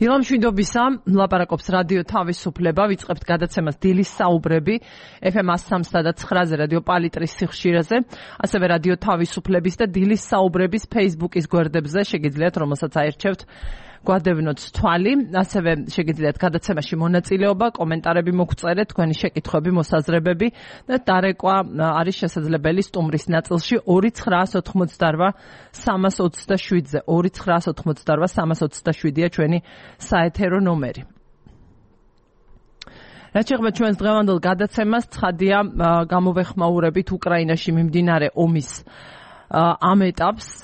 ილამშვიდობისა, ლაპარაკობს რადიო თავისუფლება, ვიწყებთ გადაცემას დილის საუბრები, FM 103 და 9-ზე რადიო პალიტრის სიხშირეზე, ასევე რადიო თავისუფლების და დილის საუბრების Facebook-ის გვერდებზე შეგიძლიათ, რომელსაც აერჩევთ, გვადევნოთ თვალი, ასევე შეგიძლიათ გადაცემაში მონაწილეობა, კომენტარები მოგწერეთ, თქვენი შეკითხვები, მოსაზრებები და დარეკვა არის შესაძლებელი სტუმრის ნაწილში 2988327-ზე. 2988327-ია ჩვენი საეთერო ნომერი. რაც შეეხება ჩვენს დღევანდელ გადაცემას, ცხადია გამოვეხმაურებით უკრაინაში მიმდინარე ომის ამ ეტაპს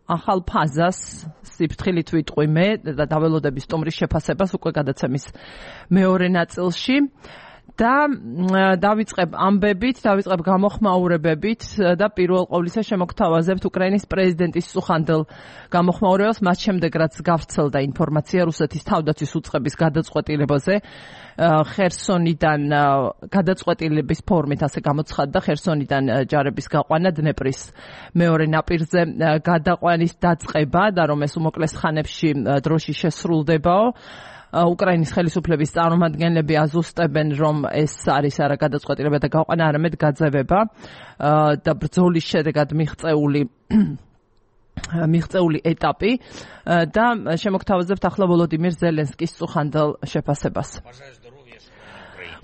ახალ ფაზას სიფრთხილით ვიტყვი მე და დაველოდები სტუმრის შეფასებას უკვე გადაცემის მეორე ნაწილში და დავიწყებ ამბებით, დავიწყებ გამოხმაურებებით და პირველ ყოვლისა შემოგთავაზებთ უკრაინის პრეზიდენტის სუხანდელ გამოხმაურებას, მას შემდეგ რაც გავრცელდა ინფორმაცია რუსეთის თავდაცვის უწყების გადაწყვეტილებაზე ხერსონიდან გადაწყვეტილების ფორმით ასე გამოცხადდა ხერსონიდან ჯარების გაყვანა დნეპრის მეორე ნაპირზე გადაყვანის დაწყება და რომ ეს უმოკლეს ხანებში დროში შესრულდებაო. უკრაინის ხელისუფლების წარმომადგენლები აზუსტებენ, რომ ეს არის არა გადაწყვეტილება და გაყვანა, არამედ გაძევება და ბრძოლის შედეგად მიღწეული ეტაპი და შემოგთავაზებთ ახლა ვოლოდიმირ ზელენსკის სუხანდელ შეფასებას.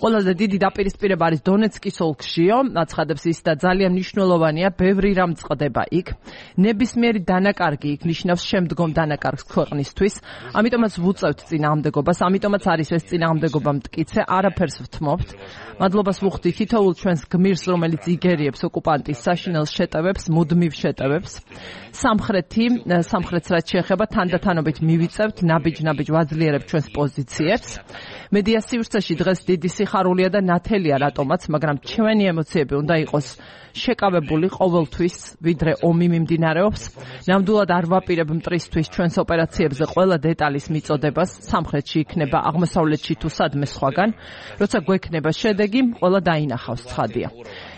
ყველაზე დიდი დაპირისპირება არის დონეცკის ოლქშიო, აცხადებს ის და ძალიან მნიშვნელოვანია, ბევრი რამ წყდება იქ. ნებისმიერი დანაკარგი იქ ნიშნავს შემდგომ დანაკარგს ქვეყნისთვის, ამიტომაც ვუწევთ წინააღმდეგობას, ამიტომაც არის ეს წინააღმდეგობა მტკიცე, არაფერს ვთმობთ. მადლობას ვუხდი თითოეულ ჩვენს გმირს, რომელიც იგერიებს ოკუპანტის საშინელ შეტევებს, მუდმივ შეტევებს. სამხრეთს რაც შეეხება თანდათანობით მივიწევთ, ნაბიჯ-ნაბიჯ ვაძლიერებთ ჩვენს პოზიციებს. მედია სივრცეში დღეს დიდი სიხარულია და ნათელია რატომაც, მაგრამ ჩვენი ემოციები უნდა იყოს შეკავებული ყოველთვის, ვიდრე ომი მიმდინარეობს. ნამდვილად არ ვაპირებ მტრისთვის ჩვენს ოპერაციებზე ყველა დეტალის მიწოდებას, სამხრეთში იქნება, აღმოსავლეთში თუ სადმე სხვაგან. როცა გვექნება შედეგი, ყველა დაინახავს, ცხადია.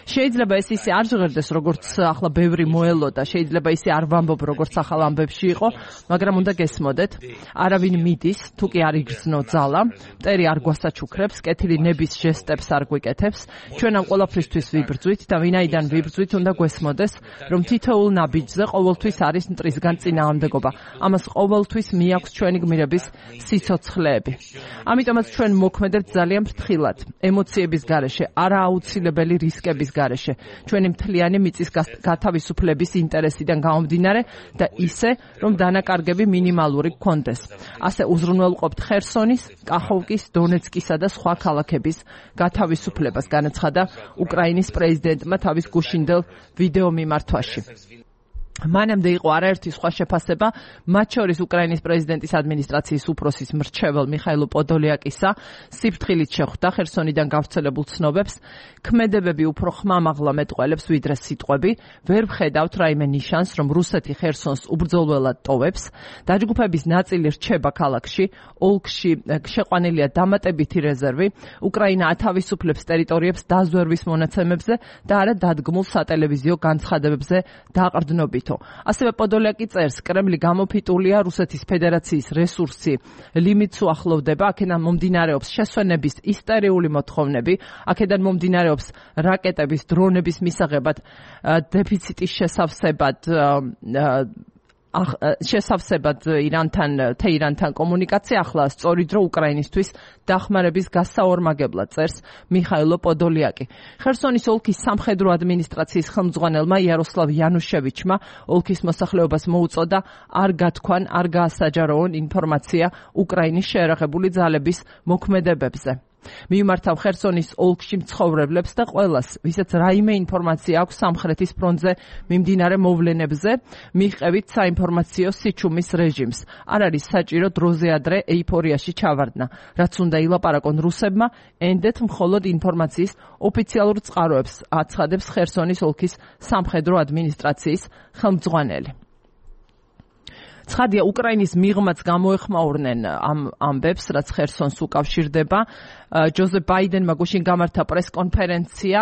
შეიძლება ეს ისე არ ჟღერდეს, როგორც ახლა ბევრი მოელოდა, შეიძლება ისე არ ვამბობ, როგორც ახალ ამბებში იყო, მაგრამ უნდა გესმოდეთ, არავინ მიდის, თუ კი არ იგრძნო ძალა, მტერი არ გვასაჩუქრებს, კეთილი ნების ჟესტებს არ გვიკეთებს, ჩვენ ამ ყველაფრისთვის ვიბრძვით და ვინაიდან ვიბრძვით, უნდა გვესმოდეს, რომ თითოეულ ნაბიჯზე ყოველთვის არის მტრისგან წინააღმდეგობა. ამას ყოველთვის მიაქვს ჩვენი გმირების სიცოცხლეები. ამიტომაც ჩვენ მოქმედებთ ძალიან ფრთხილად, ემოციების გარეშე, არააუცილებელი რისკების გარეშე, ჩვენი მთლიანი მიწის გათავისუფლების ინტერესიდან გამომდინარე და ისე, რომ დანაკარგები მინიმალური გქონდეს. ასე უზრუნველყოფთ ხერსონის, კახოვკის, დონეცკისა და სხვა ქალაქების გათავისუფლებას, განაცხადა უკრაინის პრეზიდენტმა თავის გუშინდელ ვიდეო მიმართვაში. მანამდე იყო არაერთი სხვა შეფასება, მათ შორის უკრაინის პრეზიდენტის ადმინისტრაციის უფროსის მრჩეველ მიხაილ პოდოლიაკისა სიფრთხილით შეხვდა ხერსონიდან გავრცელებულ ცნობებს, ქმედებები უფრო ხმამაღლა მეტყველებს ვიდრე სიტყვები, ვერ ვხედავთ რაიმე ნიშანს, რომ რუსეთი ხერსონს უბრძოლველად ტოვებს, დაჯგუფების ნაწილი რჩება ქალაქში, ოლქში შეყვანილია დამატებითი რეზერვი, უკრაინა ათავისუფლებს ტერიტორიებს დაზვერვის მონაცემებზე და არა დადგმულ სატელევიზიო განცხადებებზე დაყრდნობით. ასევე პოდოლიაკი წერს, კრემლი გამოფიტულია, რუსეთის ფედერაციის რესურსი ლიმიტს უახლოვდება, აქედან მომდინარეობს შესვენების ისტერიული მოთხოვნები, აქედან მომდინარეობს რაკეტების, დრონების მისაღებად დეფიციტის შესავსებად თეირანთან კომუნიკაცია, ახლა სწორი დრო უკრაინისთვის დახმარების გასაორმაგებლად, წერს მიხაილ პოდოლიაკი. ხერსონის ოლქის სამხედრო ადმინისტრაციის ხელმძღვანელმა იაროსლავ იანუშევიჩმა ოლქის მოსახლეობას მოუწოდა არ გათქვან, არ გაასაჯაროონ ინფორმაცია უკრაინის შეერაღებული ძალების მოქმედებებზე. მიუმართავ ხერსონის ოლქში მცხოვრებლებს და ყველას, ვისაც რაიმე ინფორმაცია აქვს სამხრეთის ფრონტზე მიმდინარე მოვლენებზე, მიჰყევით საინფორმაციო სიჩუმის რეჟიმს. არ არის საჭირო დროზე ადრე ეიფორიაში ჩავარდნა, რაც უნდა ილაპარაკონ რუსებმა, ენდეთ მხოლოდ ინფორმაციის ოფიციალურ წყაროებს, აცხადებს ხერსონის ოლქის სამხედრო ადმინისტრაციის ხელმძღვანელი. ცხადია, უკრაინის მიღმაც გამოეხმაურნენ ამ ამბებს, რაც ხერსონს უკავშირდება. ჯოზეფ ბაიდენმა გუშინ გამართა პრესკონფერენცია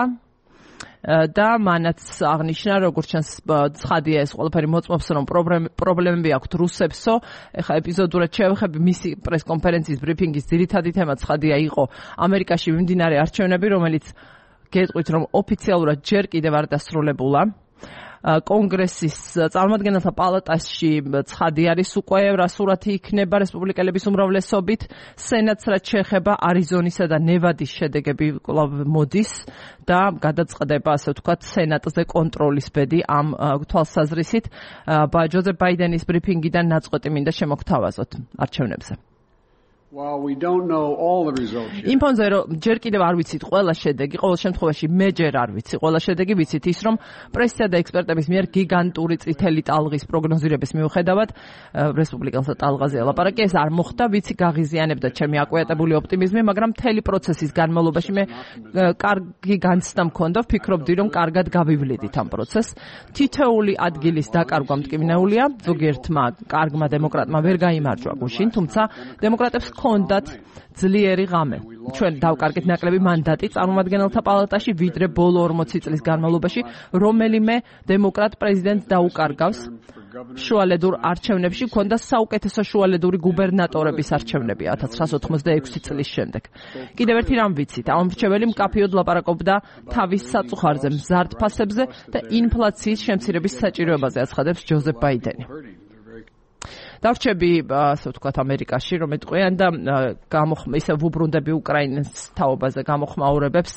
და მანაც აღნიშნა, როგორც ჩანს, ცხადია ეს ყველაფერი მოწმობს, რომ პრობლემები აქვთ რუსებსო. ეხლა ეპიზოდურად შევეხები მისი პრესკონფერენციის ბრიფინგის ძირითადი თემა ცხადია იყო ამერიკაში მიმდინარე არჩევნები, რომელიც გეტყვით, რომ ოფიციალურად ჯერ კიდევ არ დასრულებულა. კონგრესის წარმომადგენელთა პალატაში ცხადი არის უკვე რა სურათი იქნება რესპუბლიკელების უმრავლესობით. სენატს რაც შეეხება არიზონისა და ნევადის შედეგები კვლავ მოდის და გადაწყდება, ასე ვთქვათ, სენატზე კონტროლის ბედი ამ თვალსაზრისით. ჯოზეფ ბაიდენის ბრიფინგიდან ნაწყვეტი მინდა შემოგთავაზოთ არჩევნებზე. იმ ფონზე რომ ჯერ კიდევ არ ვიცით ყველა შედეგი, ყოველ შემთხვევაში მე ჯერ არ ვიცი ყველა შედეგი, ვიცით ის რომ პრესისა და ექსპერტების მიერ გიგანტური წითელი ტალღის პროგნოზირების მიუხედავად რესპუბლიკელთა ტალღაზე ელაპარაკი, ეს არ მოხდა, ვიცი გაღიზიანებდა ჩემი აკვიატებული ოპტიმიზმი, მაგრამ მთელი პროცესის განმავლობაში მე კარგი განცდა მქონდა, ვფიქრობდი რომ კარგად გავივლიდით ამ პროცესს. თითოეული ადგილის დაკარგვა მტკივნეულია, ზოგიერთმა კარგმა დემოკრატმა ვერ გაიმარჯვა გუშინ, თუმცა დემოკრატებს ჰქონდათ ძლიერი ღამე. ჩვენ დავკარგეთ ნაკლები მანდატი წარმომადგენელთა პალატაში, ვიდრე ბოლო 40 წლის განმავლობაში რომელიმე დემოკრატ პრეზიდენტს დაუკარგავს. შუალედურ არჩევნებში ჰქონდა საუკეთესო შუალედური გუბერნატორების არჩევნები 1986 წლის შემდეგ. კიდევ ერთი რამ ვიცით, ამომრჩეველი მკაფიოდ ლაპარაკობდა თავის საწუხარზე, მზარდ ფასებზე და ინფლაციის შემცირების საჭიროებაზე, აცხადებს ჯოზეფ ბაიდენი. დავრჩები, ასე ვთქვათ, ამერიკაში, რომ ეტყვიან და ისე ვუბრუნდები უკრაინის თაობაზე გამოხმაურებებს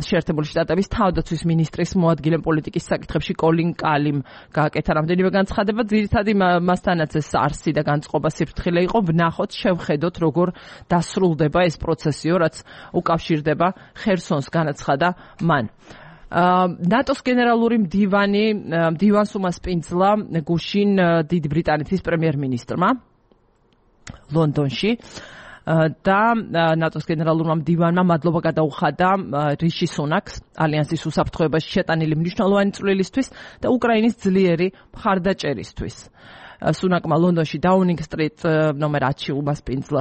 შეერთებული შტატების თავდაცვის ministris მოადგილე პოლიტიკის საკითხებში კოლინ კალიმ გააკეთა რამდენიმე განცხადება. ძირითადი მასთანაც ეს არსი და განწყობა სიფრთხილე იყო. ვნახოთ, შევხედოთ, როგორ დასრულდება ეს პროცესიო, რაც უკავშირდება ხერსონს, განაცხადა მან. ნატოს გენერალური მდივანს უმასპინძლა გუშინ დიდი ბრიტანეთის პრემიერ-მინისტრმა ლონდონში და ნატოს გენერალურმა მდივანმა მადლობა გადაუხადა რიში სუნაკს ალიანსის უსაფრთხოებაში შეტანილი მნიშვნელოვანი წვლილისთვის და უკრაინის ძლიერი მხარდაჭერისთვის. სუნაკმა ლონდონში დაუნინგ სტრიტ ნომერ 10-ში უმასპინძლა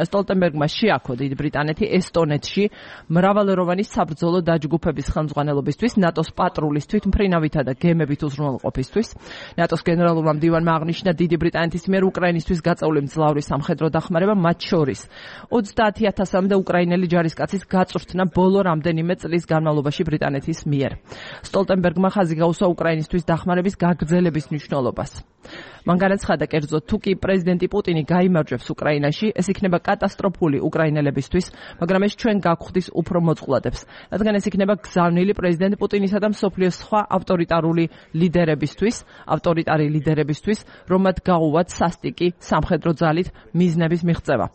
სტოლტენბერგმა შეაქო დიდი ბრიტანეთი ესტონეთში მრავალეროვანი საბრძოლო დაჯგუფების ხელმძღვანელობისთვის, ნატოს პატრულის თვითმფრინავითა და გემებით უზრუნველყოფისთვის. ნატოს გენერალურმა მდივანმა აღნიშნა დიდი ბრიტანეთის მიერ უკრაინისთვის გაწეული მძლავრი სამხედრო დახმარება, მათ შორის 30,000-მდე უკრაინელი ჯარისკაცის გაწვრთნა ბოლო რამდენიმე წლის განმავლობაში ბრიტანეთის მიერ. სტოლტენბერგმა ხაზი გაუსვა უკრაინისთვის დახმარების გაგრძელების მნიშვნელობას. მან განაცხადა, კერძოდ, თუ კი პრეზიდენტი პუტინი გაიმარჯვებს უკრაინაში, ეს იქნება კატასტროფული უკრაინელებისთვის, მაგრამ ეს ჩვენ გაგხვდის უფრო მოწყვლადებს, რადგან ეს იქნება გზავნილი პრეზიდენტ პუტინისა და მსოფლიოს სხვა ავტორიტარი ლიდერებისთვის, რომ მათ გაუვათ სასტიკი სამხედრო ძალით მიზნების მიღწევა.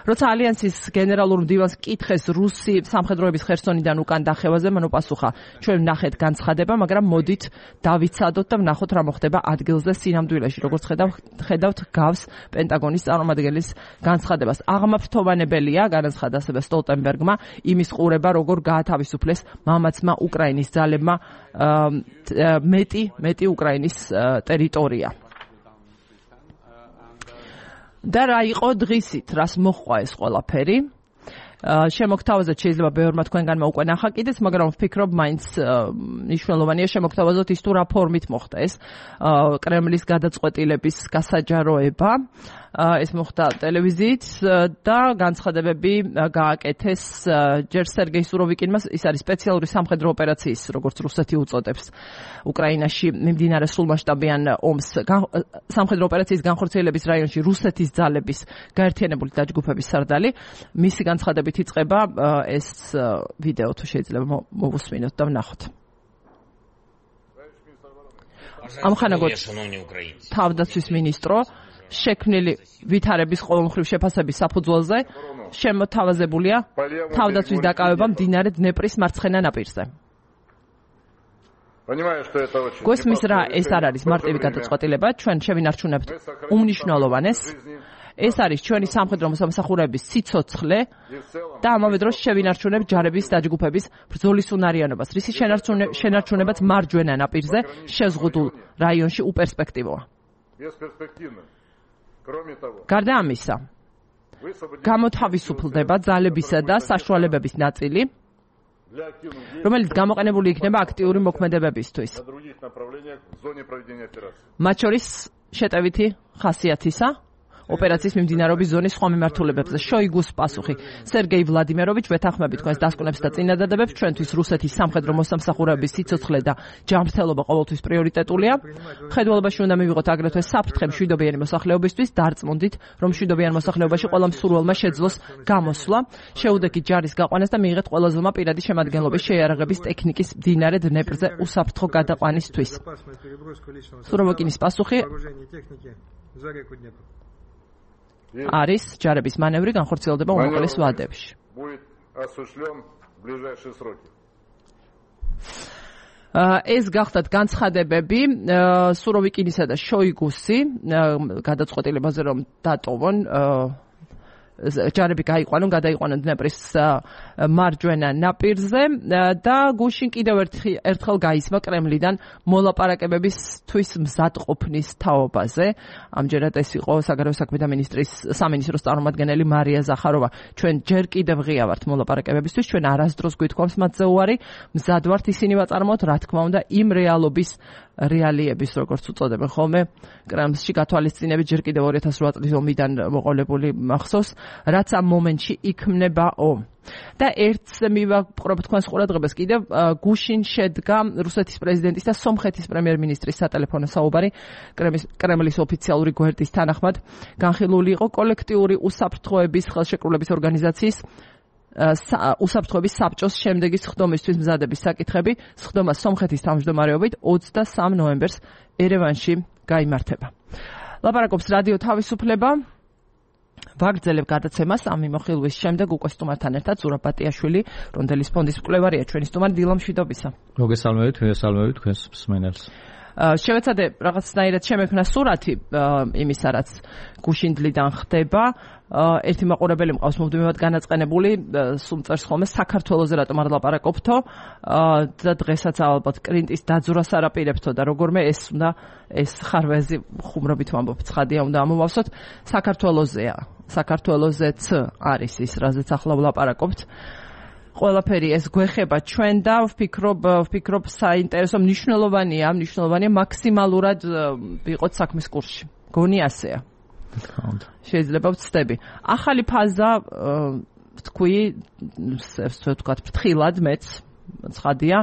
როცა ალიანსის გენერალურ მდივანს კითხეს რუსი სამხედროების ხერსონიდან უკან დახევაზე, მან უპასუხა, ჩვენ ვნახეთ განცხადება, მაგრამ მოდით დავიცადოთ და ვნახოთ რა მოხდება ადგილზე სინამდვილეში. როგორც ხედავთ, გავს პენტაგონის წარმომადგენლის განცხადებას. აღმაფრთოვანებელია, განაცხადა ასევე სტოლტენბერგმა, იმის ყურება, როგორ გაათავისუფლეს მამაცმა უკრაინის ძალებმა მეტი უკრაინის ტერიტორია. და რა იყო დღისით, რას მოჰყვა ეს ყველაფერი? შემოგთავაზოთ, შეიძლება ბევრმა თქვენგანმა უკვე ნახა კიდეც, მაგრამ ვფიქრობ, მაინც მნიშვნელოვანია შემოგთავაზოთ ის თუ რა ფორმით მოხდა ეს კრემლის გადაწყვეტილების გასაჯაროება. ეს მოხდა ტელევიზიით და განცხადებები გააკეთეს ჯერ სერგეი სუროვიკინმა, ის არის სპეციალური სამხედრო ოპერაციის, როგორც რუსეთი უწოდებს, უკრაინაში მიმდინარე სრულმასშტაბიან ომს სამხედრო ოპერაციის განხორციელების რაიონში რუსეთის ძალების გაერთიანებული დაჯგუფების სარდალი. მისი განცხადებით იწყება ეს ვიდეო, თუ შეიძლება მოვუსმინოთ და ვნახოთ. ამხანაგოდ თავდაცვის მინისტრო შექმნილი ვითარების ყოველმხრივ შეფასების საფუძველზე შემოთავაზებულია თავდაცვის დაკავება მდინარე დნეპრის მარცხენა ნაპირზე. გვესმის რა, ეს არ არის მარტივი გადაწყვეტილება, ჩვენ შევინარჩუნებთ უმნიშვნელოვანეს. ეს არის ჩვენი სამხედრო მოსამსახურეების სიცოცხლე და ამავე დროს შევინარჩუნებთ ჯარების დაჯგუფების ბრძოლის უნარიანობას, რისი შენარჩუნებაც მარჯვენა ნაპირზე შეზღუდულ რაიონში უპერსპექტივოა. გარდა ამისა, გამოთავისუფლდება ძალებისა და საშუალებების ნაწილი, რომელიც გამოყენებული იქნება აქტიური მოქმედებებისთვის. მათ შორის შეტევითი ხასიათისა ოპერაციის მიმდინარეობის ზონის სხვა მიმართულებებზე. შოიგუს პასუხი. სერგეი ვლადიმიროვიჩ, ვეთანხმებით თქვენს დასკვნებს და წინადადებებს, ჩვენთვის რუსეთის სამხედრო მოსამსახურეების სიცოცხლე და ჯანმრთელობა ყოველთვის პრიორიტეტულია. მხედველობაში უნდა მივიღოთ აგრეთვე საფრთხე მშვიდობიანი მოსახლეობისთვის, დარწმუნდით, რომ მშვიდობიან მოსახლეობაში ყველა მსურველმა შეძლოს გამოსვლა, შეუდექით ჯარის გაყვანას და მიიღეთ ყველაზემა პირადი შემადგენლობის შეიარაღების ტექნიკის მდინარე დნეპრზე უსაფრთხო გადაყვანისთვის. სუროვოკინის პასუხი არის ჯარების მანევრი განხორციელდება უმოკლეს ვადებში. ეს გახდათ განცხადებები სუროვიკინისა და შოიგუსი გადაწყვეტილებაზე რომ დატოვონ ჯარები გადაიყვანონ დნეპრის მარჯვენა ნაპირზე და გუშინ კიდევ ერთხელ გაისმა კრემლიდან მოლაპარაკებებისთვის მზადყოფნის თაობაზე. ამჯერად ეს იყო საგარეო საქმეთა მინისტრის სამინისტროს წარმომადგენელი მარია ზახაროვა. ჩვენ ჯერ კიდევ ღია ვართ მოლაპარაკებებისთვის, ჩვენ არასდროს გვითხოვს მათზე უარი, მზად ვართ ისინი ვაწარმოოთ, რა თქმა უნდა, იმ რეალიების, როგორც უწოდებენ ხოლმე, კრემლში გათვალისწინებით ჯერ კიდევ 2008 წლის ომიდან მოყოლებული მახსოვს, რაც ამ მომენტში იქმნებაო. და ერთს მივაპყრობ თქვენს ყურადღებას კიდევ გუშინ შედგა რუსეთის პრეზიდენტის და სომხეთის პრემიერ-მინისტრის სატელეფონო საუბარი კრემლის ოფიციალური გვერდის თანახმად განხილული იყო კოლექტიური უსაფრთხოების ხელშეკრულების ორგანიზაციის უსაფრთხოების საბჭოს შემდეგი სხდომისთვის მზადების საკითხები. სხდომა სომხეთის თავმჯდომარეობით 23 ნოემბერს ერევანში გაიმართება. ლაპარაკობს რადიო თავისუფლება. ვაგრძელებ გადაცემას ამ მიმოხილვის შემდეგ უკვე სტუმართან ერთად ზურაბ ბატიაშვილი, რონდელის ფონდის მკვლევარია, ჩვენი სტუმარი დილა მშვიდობისა. მოგესალმებით თქვენს მსმენელს. შევეცადე რაღაცნაირად შემექმნა სურათი იმისა, რაც გუშინდლიდან ხდება. ერთი მაყურებელი მყავს მომდევნად განაწყენებული, სულ ხოლმე საქართველოზე რატომ არ ლაპარაკობთო და დღესაც ალბათ კრინტის დაძვრას არაპირებთო და როგორმე ეს ხარვეზი ხუმრობით ვამბობ, ცხადია უნდა ამოვავსოთ. საქართველოზეც არის ის, რაზეც ახლა ვლაპარაკობთ. ყველაფერი ეს გვეხება ჩვენ და ვფიქრობ საინტერესო მნიშვნელოვანია მაქსიმალურად ვიყოთ საქმის კურსში. გონი ასეა. შეიძლება ვცდები. ახალი ფაზა თქვი, ვთქვათ, ფრთხილად მეც ცხადია,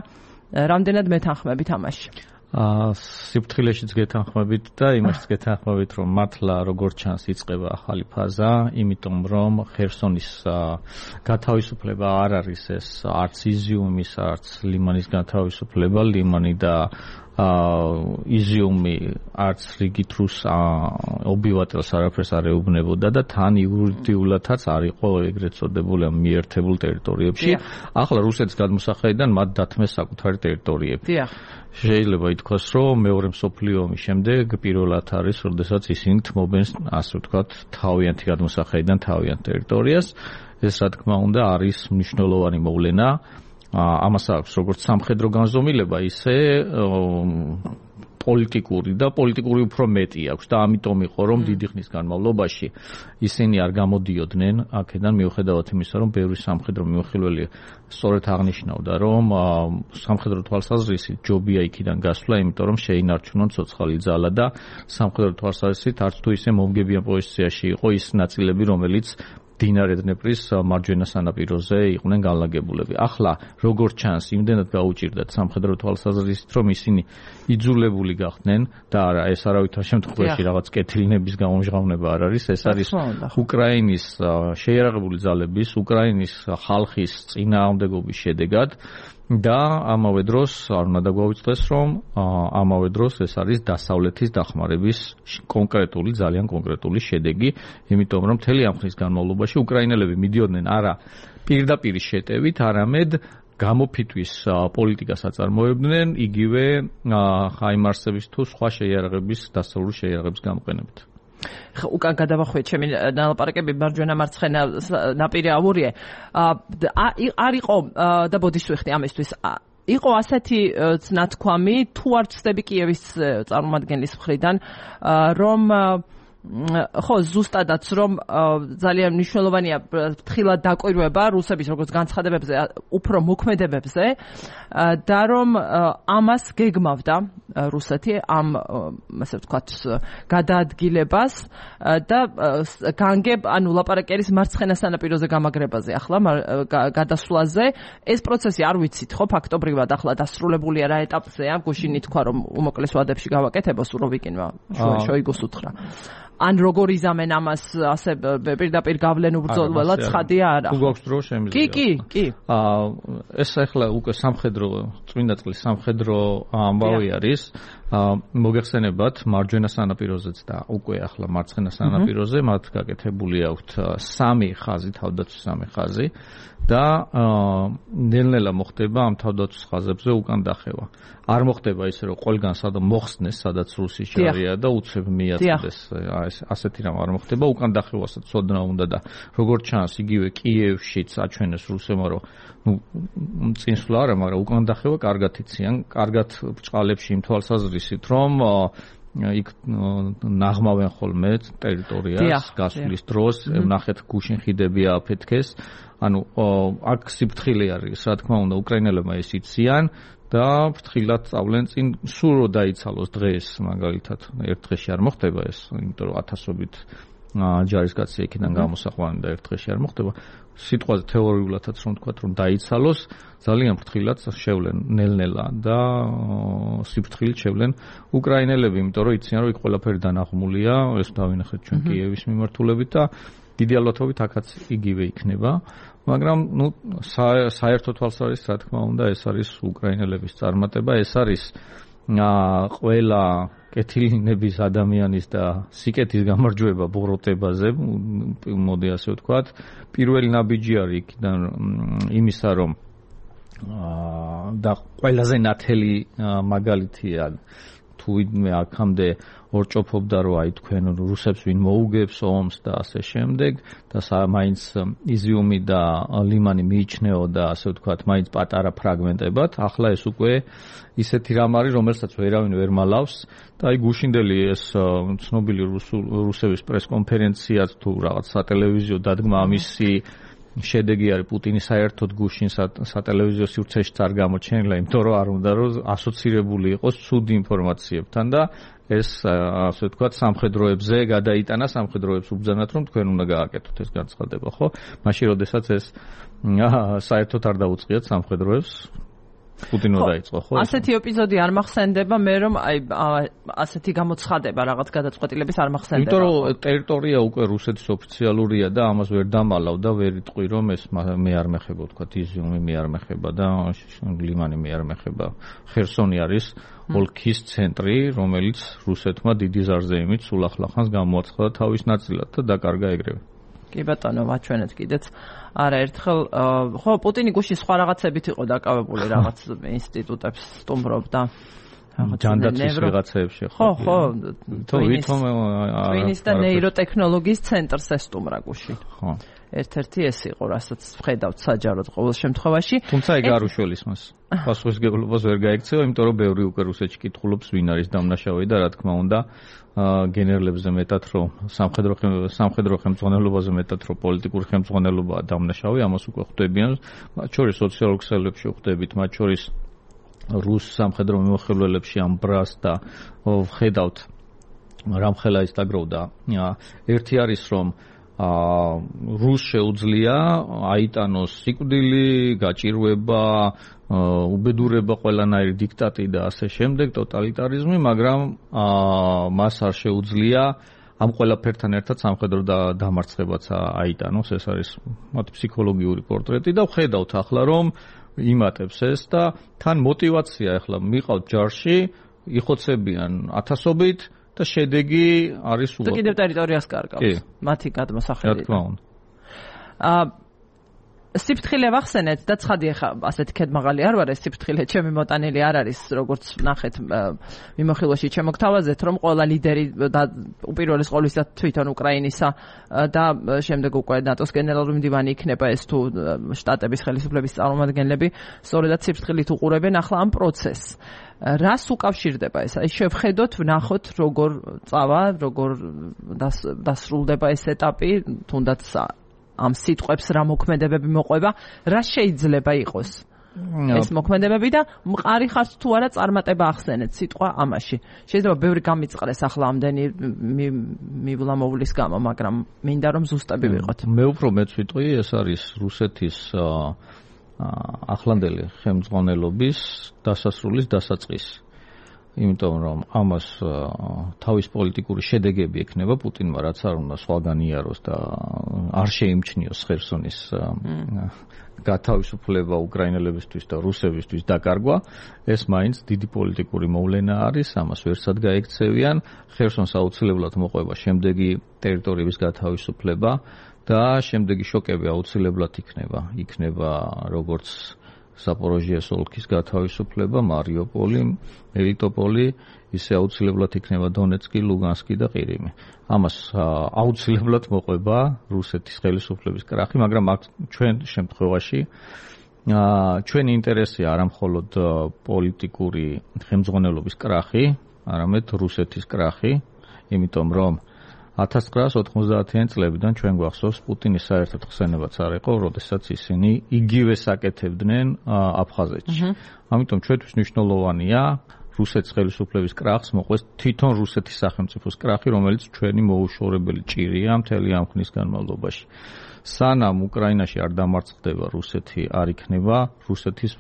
რამდენად მეთანხმებით ამაში. სიფრთხილეშიც გეთანხმებით და იმაშიც გეთანხმებით, რომ მართლა როგორც ჩანს იწყება ახალი ფაზა, იმიტომ რომ ხერსონის გათავისუფლება არ არის ეს არც იზიუმის, არც ლიმანის გათავისუფლება, ლიმანი და იზიუმი არც რიგით რუს ობივატელს არაფერს არ ეუბნებოდა და თან იურიდიულადაც არ იყო ეგრეთ წოდებული მიერთებულ ტერიტორიებში. ახლა რუსეთის გადმოსახედიდან მათ დათმეს საკუთარი ტერიტორიები. შეიძლება ითქვას, რომ მეორე მსოფლიო ომის შემდეგ პირველად არის, როდესაც ისინი თმობენ, ასე ვთქვათ, თავიანთი გადმოსახედიდან თავიანთ ტერიტორიას. ეს რა თქმა უნდა არის მნიშვნელოვანი მოვლენა. ამას აქვს როგორც სამხედრო განზომილება, ისე პოლიტიკური და პოლიტიკური უფრო მეტი აქვს და ამიტომ იყო რომ დიდი ხნის განმავლობაში ისინი არ გამოდიოდნენ აქედან მიუხედავად იმისა რომ ბევრი სამხედრო მიმოხილველი სწორედ აღნიშნავდა რომ სამხედრო თვალსაზრისით ჯობია იქიდან გასვლა იმიტომ რომ შეინარჩუნონ ცოცხალი ძალა და სამხედრო თვალსაზრისით არც თუ ისე მომგებიან პოზიციაში იყო ის ნაწილები რომელიც დინარე დნეპრის მარჯვენა სანაპიროზე იყვნენ განლაგებულები. ახლა როგორც ჩანს, იმდენად გაუჭირდათ სამხედრო თვალსაზრისით, რომ ისინი იძულებული გახდნენ და არა, ეს არავითარ შემთხვევაში რაღაც კეთილნების გამომჟღავნება არ არის, ეს არის უკრაინის შეიარაღებული ძალების, უკრაინის ხალხის წინააღმდეგობის შედეგად. და ამავე დროს არ უნდა დაგვაუწყდეს რომ ამავე დროს ეს არის დასავლეთის დახმარების კონკრეტული ძალიან კონკრეტული შედეგი იმიტომ რომ მთელი ამ ხნის განმავლობაში უკრაინელები მიდიოდნენ არა პირდაპირ შეტევით არამედ გამოფიტვის პოლიტიკას აწარმოებდნენ იგივე ხაიმარსების თუ სხვა შეიარაღების დასავლური შეიარაღების გამოყენებით უკან გადავახვიეთ ჩემი ნალაპარაკები მარჯვენა მარცხენა ნაპირი ავურიე არ იყო და ბოდიშ ვიხდი ამისთვის იყო ასეთი ნათქვამი თუ არ ვწდები კიევის წარმომადგენლის მხრიდან რომ ხო, ზუსტადაც რომ ძალიან მნიშვნელოვანია ფრთხილად დაკვირვება რუსების როგორც განცხადებებზე, უფრო მოქმედებებზე და რომ ამას გეგმავდა რუსეთი ამ ასე ვთქვათ გადაადგილებას და განგებ ანუ ლაპარაკერის მარცხენა სანაპიროზე გამაგრებაზე ახლა გადასვლაზე ეს პროცესი არ ვიცით ხო ფაქტობრივად ახლა დასრულებულია რა ეტაპზეა გუშინი თქვა რომ უმოკლეს ვადებში გავაკეთება სულ რო ვიკინვა შოიგუს უთხრა ან როგორ იზამენ ამას ასე პირდაპირ გავლენ უბრძოლველად ცხადია არა თუ გვაქვს დრო შემიძლია კი ეს ახლა უკვე სამხედრო წმინდა წყლის სამხედრო ამბავი არის მოგეხსენებათ მარჯვენა სანაპიროზეც და უკვე ახლა მარცხენა სანაპიროზე მათ გაკეთებული აქვთ სამი ხაზი თავდაცვის სამი ხაზი და ნელ-ნელა მოხდება ამ თავდაცვის ხაზებზე უკან დახევა არ მოხდება ისე რომ ყველგან სადაც მოხსნეს სადაც რუსის ჯარია და უცებ მიაწდეს ასეთი რამ არ მოხდება უკან დახევასაც ცოდნა უნდა და როგორც ჩანს იგივე კიევშიც აჩვენეს რუსებმა რომ წინსვლა არა მაგრამ უკან დახევა კარგად იციან კარგად ბრჭყალებში იმ თვალსაზრისით რომ იქ ნაღმავენ ხოლმე ტერიტორიას გასვლის დროს ნახეთ გუშინ ხიდები აფეთქეს ანუ აქ სიფრთხილე არის რა თქმა უნდა უკრაინელებმა ეს იციან და ფრთხილად წავლენ წინ სულ რო დაიცალოს დღეს მაგალითად ერთ დღეში არ მოხდება ეს იმიტომ რომ ათასობით ჯარისკაცი იქიდან გამოსაყვანი და ერთ დღეში არ მოხდება სიტყვაზე თეორიულადაც რომ თქვა რომ დაიცალოს ძალიან ფრთხილად შევლენ ნელ-ნელა და სიფრთხილით შევლენ უკრაინელები იმიტომ რომ იციან რომ იქ ყველაფერი დანაღმულია ეს დავინახეთ ჩვენ კიევის მიმართულებით და დიდი ალბათობით აქაც იგივე იქნება მაგრამ ნუ საერთო თვალსაზრისით რა თქმა უნდა ეს არის უკრაინელების წარმატება ეს არის ყველა კეთილინების ადამიანის და სიკეთის გამარჯვება ბოროტებაზე მოდი ასე ვთქვათ პირველი ნაბიჯი არის იქიდან იმისა რომ და ყველაზე ნათელი მაგალითია თუ ვინმე აქამდე ორჭოფობდა რომ აი თქვენ რუსებს ვინ მოუგებს ომს და ასე შემდეგ და მაინც იზიუმი და ლიმანი მიიჩნეოდა ასე ვთქვათ მაინც პატარა ფრაგმენტებად ახლა ეს უკვე ისეთი რამ არის რომელსაც ვერავინ ვერ მალავს და აი გუშინდელი ეს ცნობილი რუსების პრესკონფერენციაც თუ რაღაც სატელევიზიო დადგმა ამისი შედეგი არის პუტინის საერთოდ გუშინ სატელევიზიო სივრცეში არ გამოჩენილა იმიტომ რომ არ უნდა რომ ასოცირებული იყოს ცუდი ინფორმაციებთან და ეს ასე ვთქვათ სამხედროებზე გადაიტანა სამხედროებს უბრძანათ რომ თქვენ უნდა გააკეთოთ ეს განცხადება ხო მაშინ როდესაც ეს საერთოდ არ დაუწყიათ სამხედროებს პუტინო დაიწყო ხო ასეთი ეპიზოდი არ მახსენდება მე რომ აი ასეთი გამოცხადება რაღაც გადაწყვეტილების არ მახსენდება იმიტომ რომ ტერიტორია უკვე რუსეთის ოფიციალურია და ამას ვერ დამალავ და ვერ იტყვი რომ ეს მე არ მეხება ვთქვათ იზიუმი მე არ მეხება და ლიმანი მე არ მეხება ხერსონი არის ოლქის ცენტრი რომელიც რუსეთმა დიდი ზარზეიმით სულ ახლახანს გამოაცხადა თავის ნაწილად და დაკარგა ეგრევე კი ბატონო ვაჩვენეთ კიდეც არაერთხელ ხო პუტინი გუშინ სხვა რაღაცებით იყო დაკავებული რაღაც ინსტიტუტებს სტუმრობდა ჯანდაცვის ვიღაცებში ხო თვითონ და ნეიროტექნოლოგიის ცენტრს ესტუმრა გუშინ ხო ერთ-ერთი ეს იყო რასაც ვხედავთ საჯაროდ ყოველ შემთხვევაში თუმცა ეგ არ უშველის მას პასუხისმგებლობას ვერ გაიქცევა იმიტომ რომ ბევრი უკვე რუსეთში კითხულობს ვინ არის დამნაშავე და რა თქმა უნდა გენერლებზე მეტად რომ სამხედრო ხელმძღვანელობაზე მეტად რომ პოლიტიკური ხელმძღვანელობაა დამნაშავე ამას უკვე ხვდებიან მათ შორის სოციალურ ქსელებში ხვდებით მათ შორის რუს სამხედრო მიმოხილველებში ამ ბრას და ვხედავთ რამხელა ის დაგროვდა ერთი არის რომ რუს შეუძლია აიტანოს სიკვდილი, გაჭირვება, უბედურება ყველანაირი დიქტატი და ასე შემდეგ, ტოტალიტარიზმი, მაგრამ მას არ შეუძლია ამ ყველაფერთან ერთად სამხედრო დამარცხებაც აიტანოს, ეს არის მათ ფსიქოლოგიური პორტრეტი და ვხედავთ ახლა რომ იმატებს ეს და თან мотиваცია ახლა მიყავთ ჯარში, იხოცებიან ათასობით და შედეგი არის უარყოფითი. კიდევ ტერიტორიას კარგავს. მათი გადმოსახედიდან. რა თქმა უნდა. სიფრთხილე ვახსენეთ და ცხადია ხა ასეთი ქედმაღალი არ ვარ ეს სიფრთხილე ჩემი მოტანილი არ არის როგორც ნახეთ მიმოხილვაში ჩემო გთავაზეთ რომ ყველა ლიდერი და უპირველეს ყოვლისა თვითონ უკრაინისა და შემდეგ უკვე ნატოს გენერალური მდივანი იქნება ეს თუ შტატების ხელისუფლების წარმომადგენლები სწორედაც სიფრთხილით უყურებენ ახლა ამ პროცესს რას უკავშირდება ეს აი შევხედოთ ვნახოთ როგორ წავა როგორ დასრულდება ეს ეტაპი თუნდაც ამ სიტყვებს რა მოქმედებები მოყვება, რა შეიძლება იყოს ეს მოქმედებები და მყარი ხართ თუ არა წარმატება ახსენეთ სიტყვა ამაში. შეიძლება ბევრი გამიწყრეს ახლა ამდენი მივლა-მოვლის გამო, მაგრამ მინდა რომ ზუსტები ვიყოთ. მე უფრო მეც ვიტყვი, ეს არის რუსეთის ახლანდელი ხელმძღვანელობის დასასრულის დასაწყისი. იმიტომ რომ ამას თავის პოლიტიკური შედეგები ექნება პუტინმა რაც არ უნდა სხვაგან იაროს და არ შეიმჩნიოს ხერსონის გათავისუფლება უკრაინელებისთვის და რუსებისთვის დაკარგვა ეს მაინც დიდი პოლიტიკური მოვლენა არის ამას ვერცად გაექცევიან ხერსონს აუცილებლად მოყვება შემდეგი ტერიტორიების გათავისუფლება და შემდეგი შოკები აუცილებლად იქნება როგორც Zaporožьes ოლქის გათავისუფლება, მარიუპოლი, მელიტოპოლი, ისე აუცილებლად იქნება დონეცკი, ლუგანსკი და ყირიმი. ამას აუცილებლად მოყვება რუსეთის ხელისუფლების კრახი, მაგრამ აქ ჩვენ შემთხვევაში ჩვენი ინტერესია არა მხოლოდ პოლიტიკური ხელმძღვანელობის კრახი, არამედ რუსეთის კრახი, იმიტომ რომ 1990-იან წლებიდან ჩვენ გვახსოვს პუტინის საერთოდ ხსენებაც არ იყო, როდესაც ისინი იგივე საკეთებდნენ აფხაზეთში. ამიტომ ჩვენთვის მნიშვნელოვანია რუსეთის ხელისუფლების კრახს მოყვეს თვითონ რუსეთის სახელმწიფოს კრახი, რომელიც ჩვენი მოუშორებელი ჭირია მთელი ამ ხნის განმავლობაში. სანამ უკრაინაში არ დამარცხდება რუსეთი, არ იქნება რუსეთის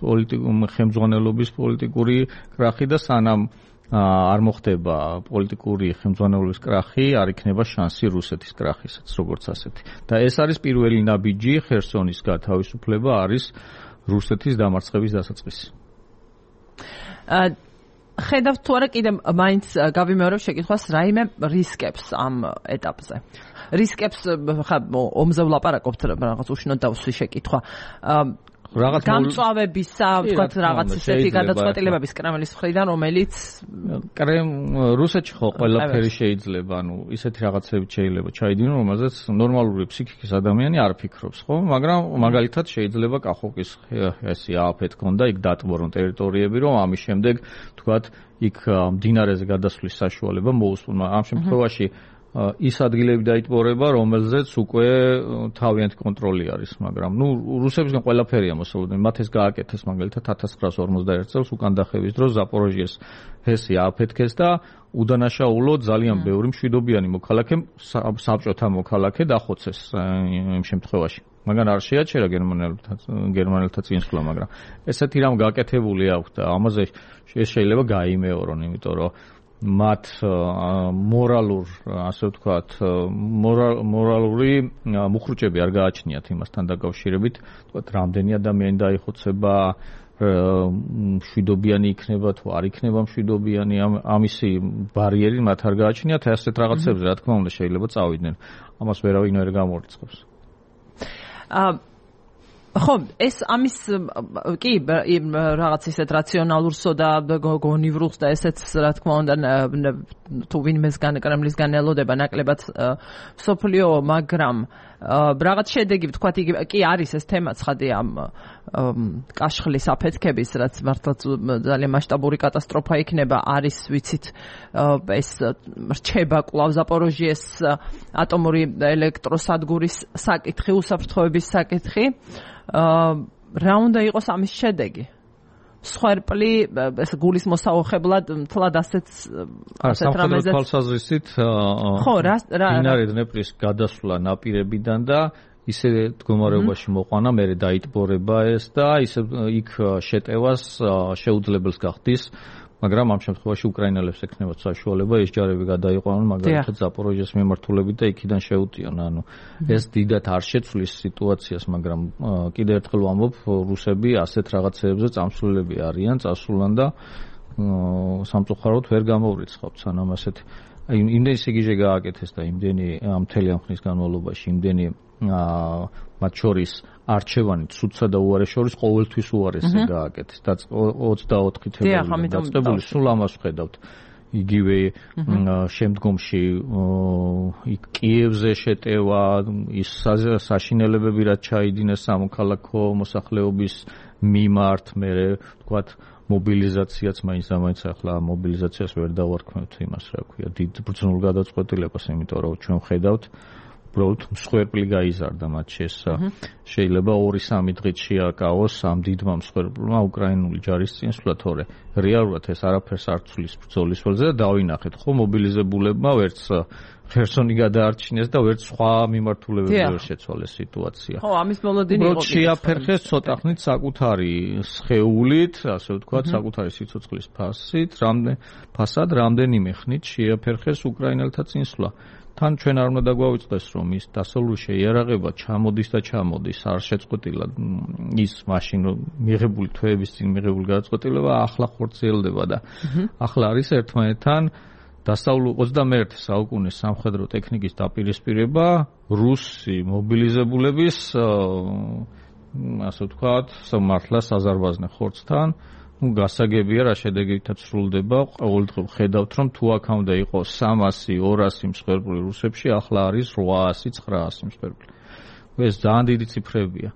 ხელმძღვანელობის პოლიტიკური კრახი და სანამ არ მოხდება პოლიტიკური ხელმძღვანელობის კრახი, არ იქნება შანსი რუსეთის კრახისაც, როგორც ასეთი. და ეს არის პირველი ნაბიჯი, ხერსონის გათავისუფლება არის რუსეთის დამარცხების დასაწყისი. ხედავთ თუ არა კიდე მაინც გავიმეორებ შეკითხვას რაიმე რისკებს ამ ეტაპზე. რისკებს ხა ომზე ვლაპარაკობთ რაღაც უშნოდ დავსვი შეკითხვა. გამწვავებისა, ვთქვათ, რაღაც ისეთი გადაწყვეტილებების კრემლის მხრიდან, რომელიც რუსეთში ხო ყველაფერი შეიძლება, ანუ ისეთი რაღაცები შეიძლება ჩაიდინონ, რომელზეც ნორმალური ფსიქიკის ადამიანი არ ფიქრობს, ხო? მაგრამ მაგალითად შეიძლება კახოკის ესე ააფეთ ქონდა, იქ დატბორონ ტერიტორიები, რომ ამის შემდეგ, ვთქვათ, იქ მდინარეზე გადასვლის საშუალება მოუსწრმა. ამ შემთხვევაში ის ადგილები დაიტბორება, რომელზეც უკვე თავიანთი კონტროლი არის, მაგრამ რუსებისგან ყველაფერია მოსალოდნელი. მათ ეს გააკეთეს მაგალითად 1951 წელს უკან დახევის დროს ზაპოროჟიეს ჰესი ააფეთქეს და უდანაშაულოდ ძალიან ბევრი მშვიდობიანი მოქალაქე, საბჭოთა მოქალაქე დახოცეს იმ შემთხვევაში. მაგრამ არ შეაჩერა გერმანელთა წინსვლა, მაგრამ ესეთი რამ გააკეთებული აქვს და ამაზე შეიძლება გაიმეორონ, იმიტომ რომ მათ მორალურ, ასე ვთქვათ, მორალური მუხრუჭები არ გააჩნიათ იმასთან დაკავშირებით, ვთქვათ, რამდენი ადამიანი დაიხოცება, მშვიდობიანი იქნება თუ არ იქნება მშვიდობიანი, ამისი ბარიერი მათ არ გააჩნიათ, ასეთ რაღაცებზე რა თქმა უნდა შეიძლება წავიდნენ. ამას ვერავინ ვერ გამორიცხავს. ხო, ეს ამის კი რაღაც ისეთ რაციონალურსო და გონივრულს და ესეც რა თქმა უნდა თუ ვინმესგან კრემლისგან ელოდება ნაკლებად სოფლიო, მაგრამ რაღაც შედეგი ვთქვათ კი არის ეს თემა ცხადია ამ კაშხლის აფეთქების, რაც მართლაც ძალიან მასშტაბური კატასტროფა იქნება, არის ვიცით ეს რჩება კვლავ ზაპოროჟიეს ატომური ელექტროსადგურის საკითხი, უსაფრთხოების საკითხი. რა უნდა იყოს ამის შედეგი? სხერპლი ეს გულის მოსაუხებლად მთლად ასეთ რამეზად თვალსაზრისით მდინარე დნეპრის გადასვლა ნაპირებიდან და ისე მდგომარეობაში მოყვანა, მერე დაიტბორება ეს და ისე იქ შეტევას შეუძლებელს გახდის, მაგრამ ამ შემთხვევაში უკრაინელებს ექნებათ საშუალება ეს ჯარები გადაიყვანონ მაგალითად ზაპოროჟიეს მიმართულებით და იქიდან შეუტიონ. ანუ ეს დიდად არ შეცვლის სიტუაციას, მაგრამ კიდევ ერთხელ ვამბობ, რუსები ასეთ რაღაცეებზე წამსვლელები არიან, წასულან და სამწუხაროდ ვერ გამოვრიცხავთ სანამ ასეთი იმდენი სიგიჟე გააკეთეს და იმდენი მთელი ამ ხნის განმავლობაში იმდენი მათ შორის არჩევანი ცუდსა და უარეს შორის ყოველთვის უარესი გააკეთეს და 24 თებერვალს დაწყებული სულ ამას ვხედავთ. იგივე შემდგომში კიევზე შეტევა, ის საშინელებები რაც ჩაიდინეს სამოქალაქო მოსახლეობის მიმართ, მე ვთქვათ მობილიზაციაც მაინც ახლა მობილიზაციას ვერ დავარქმევთ იმას, რა ქვია, დიდ ბრძნულ გადაწყვეტილებას, იმიტომ რომ ჩვენ ვხედავთ უბრალოდ მსხვერპლი გაიზარდა მათში ეს შეიძლება 2-3 დღით შეაკავოს ამ დიდმა მსხვერპლმა უკრაინული ჯარის წინსვლა, თორე რეალურად ეს არაფერს არ ცვლის ბრძოლის ველზე და დავინახეთ ხო მობილიზებულებმა ვერც ხერსონი გადაარჩინეს და ვერც სხვა მიმართულებები ვერ შეცვალეს სიტუაცია. ხო, ამის მოლოდინი იყო. შეაფერხეს ცოტა ხნით საკუთარი სხეულით, ასე ვთქვათ, საკუთარი სიცოცხლის ფასად რამდენიმე ხნით შეაფერხეს უკრაინელთა წინსვლა. თან ჩვენ არ უნდა დაგვავიწყდეს, რომ ის დასავლური შეიარაღება ჩამოდის და ჩამოდის, არ შეწყვეტილა ის მაშინ მიღებული თვეების წინ მიღებული გადაწყვეტილება ახლა ხორციელდება და ახლა არის ერთმანეთთან დასავლურ 21 საუკუნის სამხედრო ტექნიკის დაპირისპირება რუსი მობილიზებულების ასე ვთქვათ, მართლა საზარბაზნე ხორცთან გასაგებია რა შედეგითაც სრულდება. ყოველდღე ვხედავთ, რომ თუ აქამდე იყო 300-200 მსხვერპლი რუსებში, ახლა არის 800-900 მსხვერპლი. ეს ძალიან დიდი ციფრებია.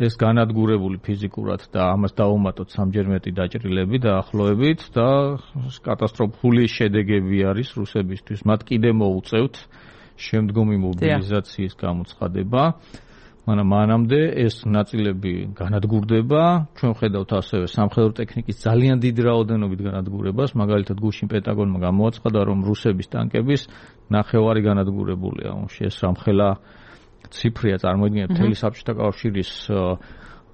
ეს განადგურებული ფიზიკურად და ამას დავუმატოთ სამჯერ მეტი დაჭრილები დაახლოებით და კატასტროფული შედეგები არის რუსებისთვის. მათ კიდე მოუწევთ შემდგომი მობილიზაციის გამოცხადება. მანამდე ეს ნაწილები განადგურდება. ჩვენ ხედავთ ასევე სამხედრო ტექნიკის ძალიან დიდი რაოდენობით განადგურებას. მაგალითად, გუშინ პენტაგონმა გამოაცხადა, რომ რუსების ტანკების 9/2 განადგურებულია. ეს რამხელა ციფრია, წარმოიდგინეთ, მთელი საბჭოთა კავშირის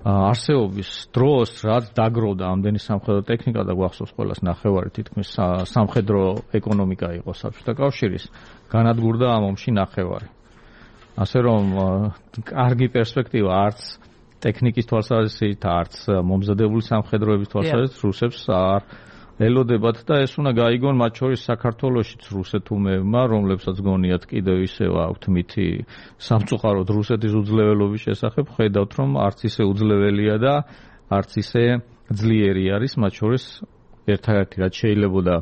არსებობის დროს, რაც დაგროვდა ამდენი სამხედრო ტექნიკა და გვახსოვს ყველას 9/2 თითქმის სამხედრო ეკონომიკა იყო საბჭოთა კავშირის, განადგურდა ამ ომში 9/2. ასე რომ კარგი პერსპექტივა არც ტექნიკის თვალსაზრისით, არც მომზადებული სამხედროების თვალსაზრისით რუსებს არ ელოდებათ და ეს უნდა გაიგონ მათ შორის საქართველოშიც რუსეთუმეებმა, რომლებსაც გონიათ კიდევ ისევ აქვთ მითი სამწუხაროდ რუსეთის უძლეველობის შესახებ, ხედავთ რომ არც ისე უძლეველია და არც ისე ძლიერი არის, მათ შორის ერთადერთი რაც შეიძლებოდა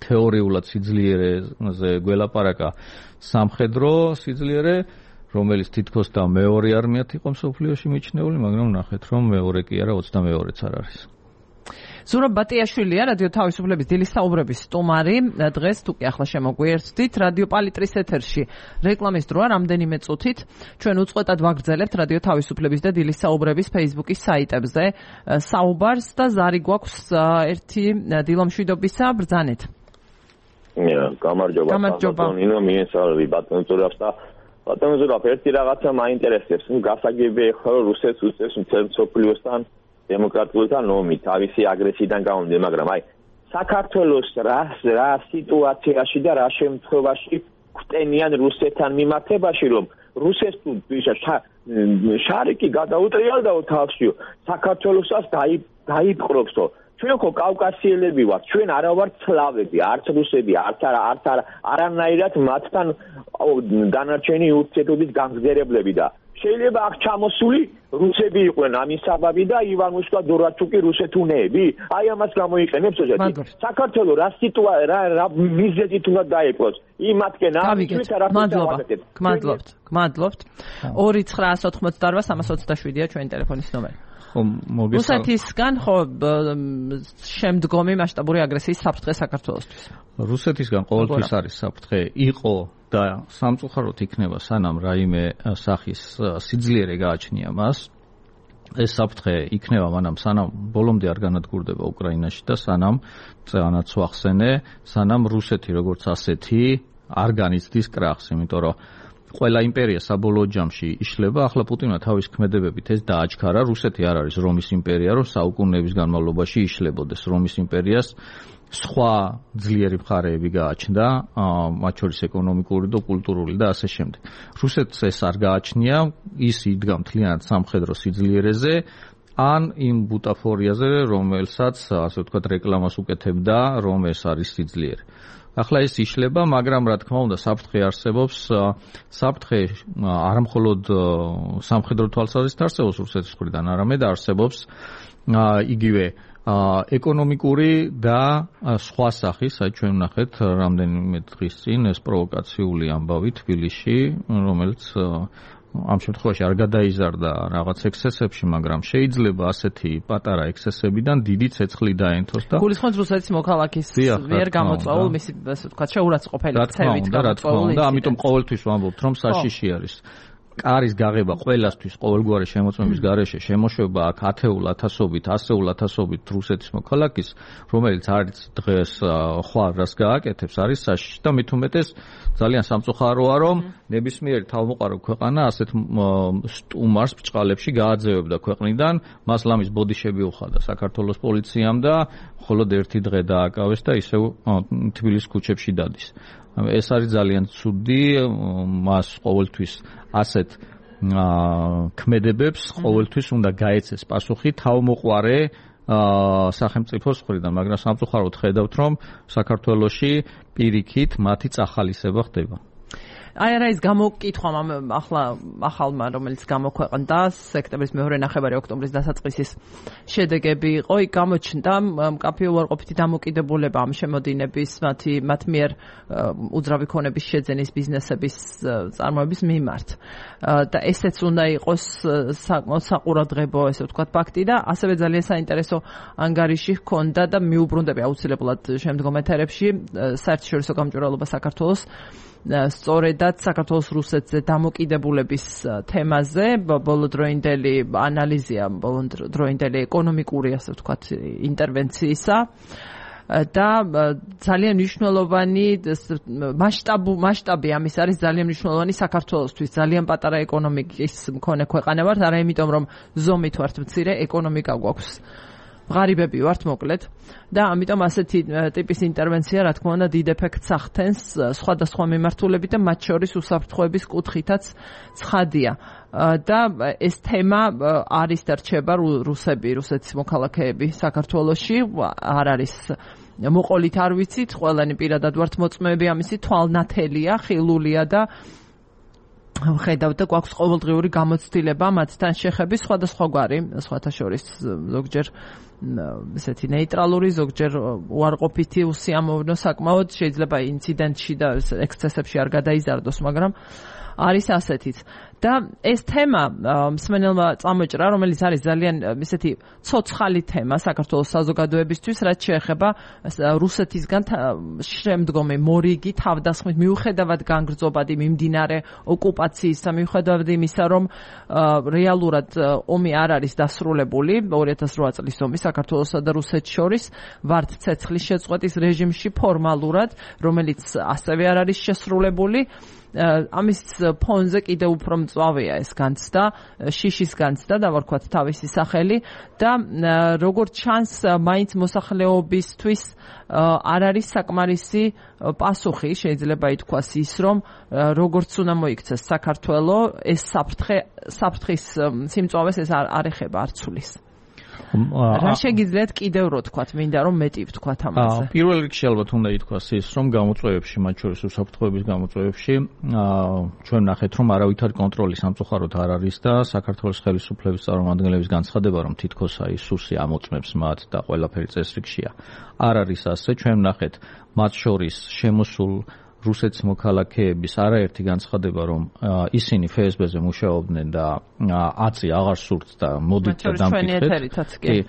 თეორიულად სიძლიერეზე გველაპარაკა სამხედრო სიძლიერე, რომელიც თითქოს და მეორე არმიად იყო მსოფლიოში მიჩნეული, მაგრამ ნახეთ რომ მეორე კი არა 22-ც არ არის. ზურაბ ბატიაშვილია, რადიო თავისუფლების დილის საუბრების სტუმარი. დღეს თუ კი ახლა შემოგვიერთდით რადიო პალიტრის ეთერში რეკლამის დროა რამდენიმე წუთით. ჩვენ უწყვეტად ვაგრძელებთ რადიო თავისუფლების და დილის საუბრების Facebook-ის საიტებზე საუბარს და ზარი გვაქვს ერთი დილომშვიდობისა ბრძანეთ. გამარჯობა. ნინო მიესალმები ბატონ ზურაბს და ბატონ ზურაბ ერთი რაღაცა მაინტერესებს. გასაგებია ხო რუსეთს უწევს მთელ მსოფლიოსთან დემოკრატიულთან ომი თავისი აგრესიიდან გამომდინარე, მაგრამ აი საქართველოს რა სიტუაციაში და რა შემთხვევაში გვტენიან რუსეთთან მიმართებაში, რომ რუსეთს თუ შარიკი გადაუტრიალდაო თავშიო, საქართველოსაც დაიპყრობსო. ჩვენ ხო კავკასიელები ვართ, ჩვენ არა ვართ სლავები, არც რუსები, არც არანაირად მათთან დანარჩენი ურთიერთობის გამგზავრებლები და შეიძლება აქ ჩამოსული რუსები იყვნენ ამის საბაბი და ივან მუშკა დორაჩუკი რუსეთუნეები. აი ამას გამოიყენებს ოზეთი. საქართველოს რა მიზეზით უნდა დაიყვოს? იმათკენ ამით რა გმადლობთ. 2-988-327-ია ჩვენი ტელეფონის ნომერი. რუსეთისგან ხო შემდგომი მასშტაბური აგრესიის საფრთხე საქართველოსთვის. რუსეთისგან ყოველთვის არის საფრთხე, იყო და სამწუხაროდ იქნება სანამ რაიმე სახის სიძლიერე გააჩნია მას. ეს საფრთხე იქნება მანამ სანამ ბოლომდე არ განადგურდება უკრაინაში და სანამ წანაც ვახსენე, სანამ რუსეთი როგორც ასეთი არ განიცდის კრახს, იმიტომ რომ ყველა იმპერია საბოლოო ჯამში იშლება. ახლა პუტინმა თავის ქმედებებით ეს დააჩქარა. რუსეთი არ არის რომის იმპერია, რომ საუკუნეების განმავლობაში იშლებოდეს. რომის იმპერიას სხვა ძლიერი მხარეები გააჩნდა, მათ შორის ეკონომიკური და კულტურული და ასე შემდეგ. რუსეთს ეს არ გააჩნია, ის იდგა მთლიანად სამხედრო სიძლიერეზე, ან იმ ბუტაფორიაზე, რომელსაც, ასე ვთქვათ, რეკლამას უკეთებდა, რომ ეს არის სიძლიერე. ახლა ეს იშლება, მაგრამ რა თქმა უნდა, საფრთხე არსებობს. საფრთხე არ მხოლოდ სამხედრო თვალსაზრისით არსებობს რუსეთის მხრიდან, არამედ არსებობს იგივე ეკონომიკური და სხვა სახის, აი ჩვენ ვნახეთ რამდენიმე დღის წინ ეს პროვოკაციული ამბავი თბილისში, რომელიც ამ შემთხვევაში არ გადაიზარდა რაღაც ექსესებში, მაგრამ შეიძლება ასეთი პატარა ექსესებიდან დიდი ცეცხლი დაენთოს და გულისხმობს რუსეთის მოქალაქის მიერ გამოწვეულ მისი ასე ვთქვათ შეურაცხყოფელი ქცევით გამოწვეული და ამიტომ ყოველთვის ვამბობთ რომ საშიში არის კარის გაღება ყველასთვის ყოველგვარი შემოწმების გარეშე შემოშვება აქ ასეულ ათასობით რუსეთის მოქალაქის, რომელიც არის დღეს ხვალ რას გააკეთებს, არის საშიში და მით უმეტეს ძალიან სამწუხაროა, რომ ნებისმიერი თავმოყარო ქვეყანა ასეთ სტუმარს ბრჭყალებში გააძევებდა ქვეყნიდან, მას ლამის ბოდიშები უხადა საქართველოს პოლიციამ და მხოლოდ ერთი დღე დააკავეს და ისევ თბილისის ქუჩებში დადის. ეს არის ძალიან ცუდი, მას ყოველთვის ასეთ ქმედებებს ყოველთვის უნდა გაეცეს პასუხი თავმოყარე სახელმწიფოს მხრიდან, მაგრამ სამწუხაროდ ხედავთ, რომ საქართველოში პირიქით მათი წახალისება ხდება. აი რა ის გამოკითხვა ახალმა რომელიც გამოქვეყნდა სექტემბრის მეორე ნახევარი ოქტომბრის დასაწყისის შედეგები იყო, იქ გამოჩნდა მკაფიო უარყოფითი დამოკიდებულება ამ შემოდინების მათ მიერ უძრავი ქონების შეძენის ბიზნესების წარმოების მიმართ და ესეც უნდა იყოს საკმაოდ საყურადღებო ესე ვთქვათ ფაქტი და ასევე ძალიან საინტერესო ანგარიში ჰქონდა და მიუბრუნდები აუცილებლად შემდგომ ეთერებში საერთაშორისო გამჭვირვალობა საქართველოს სწორედაც საქართველოს რუსეთზე დამოკიდებულების თემაზე ბოლოდროინდელი ანალიზია, ბოლოდროინდელი ეკონომიკური ასე ვთქვათ ინტერვენციისა და ძალიან მნიშვნელოვანი მასშტაბი ამის არის ძალიან მნიშვნელოვანი საქართველოსთვის, ძალიან პატარა ეკონომიკის მქონე ქვეყანა ვართ, არა იმიტომ რომ ზომით ვართ მცირე, ეკონომიკა გვაქვს ღარიბები ვართ მოკლედ და ამიტომ ასეთი ტიპის ინტერვენცია რა თქმა უნდა დიდ ეფექტს ახდენს სხვადასხვა მიმართულებით და მათ შორის უსაფრთხოების კუთხითაც ცხადია და ეს თემა არის და რჩება რუსეთის მოქალაქეები საქართველოში არ არის მოყოლით არ ვიცით, ყველანი პირადად ვართ მოწმეები ამისი, თვალნათელია, ხილულია და ხედავთ და გვაქვს ყოველდღიური გამოცდილება მათთან შეხების სხვადასხვაგვარი, სხვათა შორის ზოგჯერ ესეთი ნეიტრალური, ზოგჯერ უარყოფითი, უსიამოვნო საკმაოდ, შეიძლება ინციდენტში და ექსცესებში არ გადაიზარდოს, მაგრამ არის ასეთიც. და ეს თემა მსმენელმა წამოჭრა, რომელიც არის ძალიან ესეთი ცოცხალი თემა საქართველოს საზოგადოებისთვის, რაც შეეხება რუსეთისგან შემდგომი მორიგი თავდასხმის მიუხედავად განგრძობადი მიმდინარე ოკუპაციის, მიუხედავად იმისა, რომ რეალურად ომი არ არის დასრულებული 2008 წლის ომი საქართველოსა და რუსეთს შორის, ვართ ცეცხლის შეწყვეტის რეჟიმში ფორმალურად, რომელიც ასევე არ არის შესრულებული. ამის ფონზე კიდევ უფრო მწვავეა ეს განცდა, შიშის განცდა დავარქვათ თავისი სახელი და როგორც ჩანს მაინც მოსახლეობისთვის არ არის საკმარისი პასუხი, შეიძლება ითქვას ის, რომ როგორც უნდა მოიქცეს საქართველო, ეს საფრთხის სიმწვავეს ეს არ ეხება, არ ცulis. რა შეგიძლიათ კიდევ რო თქვათ, მინდა რომ მეტი ვთქვათ ამაზე. პირველ რიგში ალბათ უნდა ითქვას ის, რომ გამოწვევებში, მათ შორის უსაფრთხოების გამოწვევებში, ჩვენ ნახეთ, რომ არავითარი კონტროლი სამწუხაროდ არ არის და საქართველოს ხელისუფლების წარმომადგენლების განცხადება, რომ თითქოს აი სუსი ამოწმებს მათ და ყველაფერი წესრიგშია. არ არის ასე, ჩვენ ნახეთ, მათ შორის შემოსულ რუსეთის მოქალაქეების არაერთი განცხადება, რომ ისინი FSB-ზე მუშაობდნენ და აწი აღარ სურთ და მოდით და დამკითხეთ.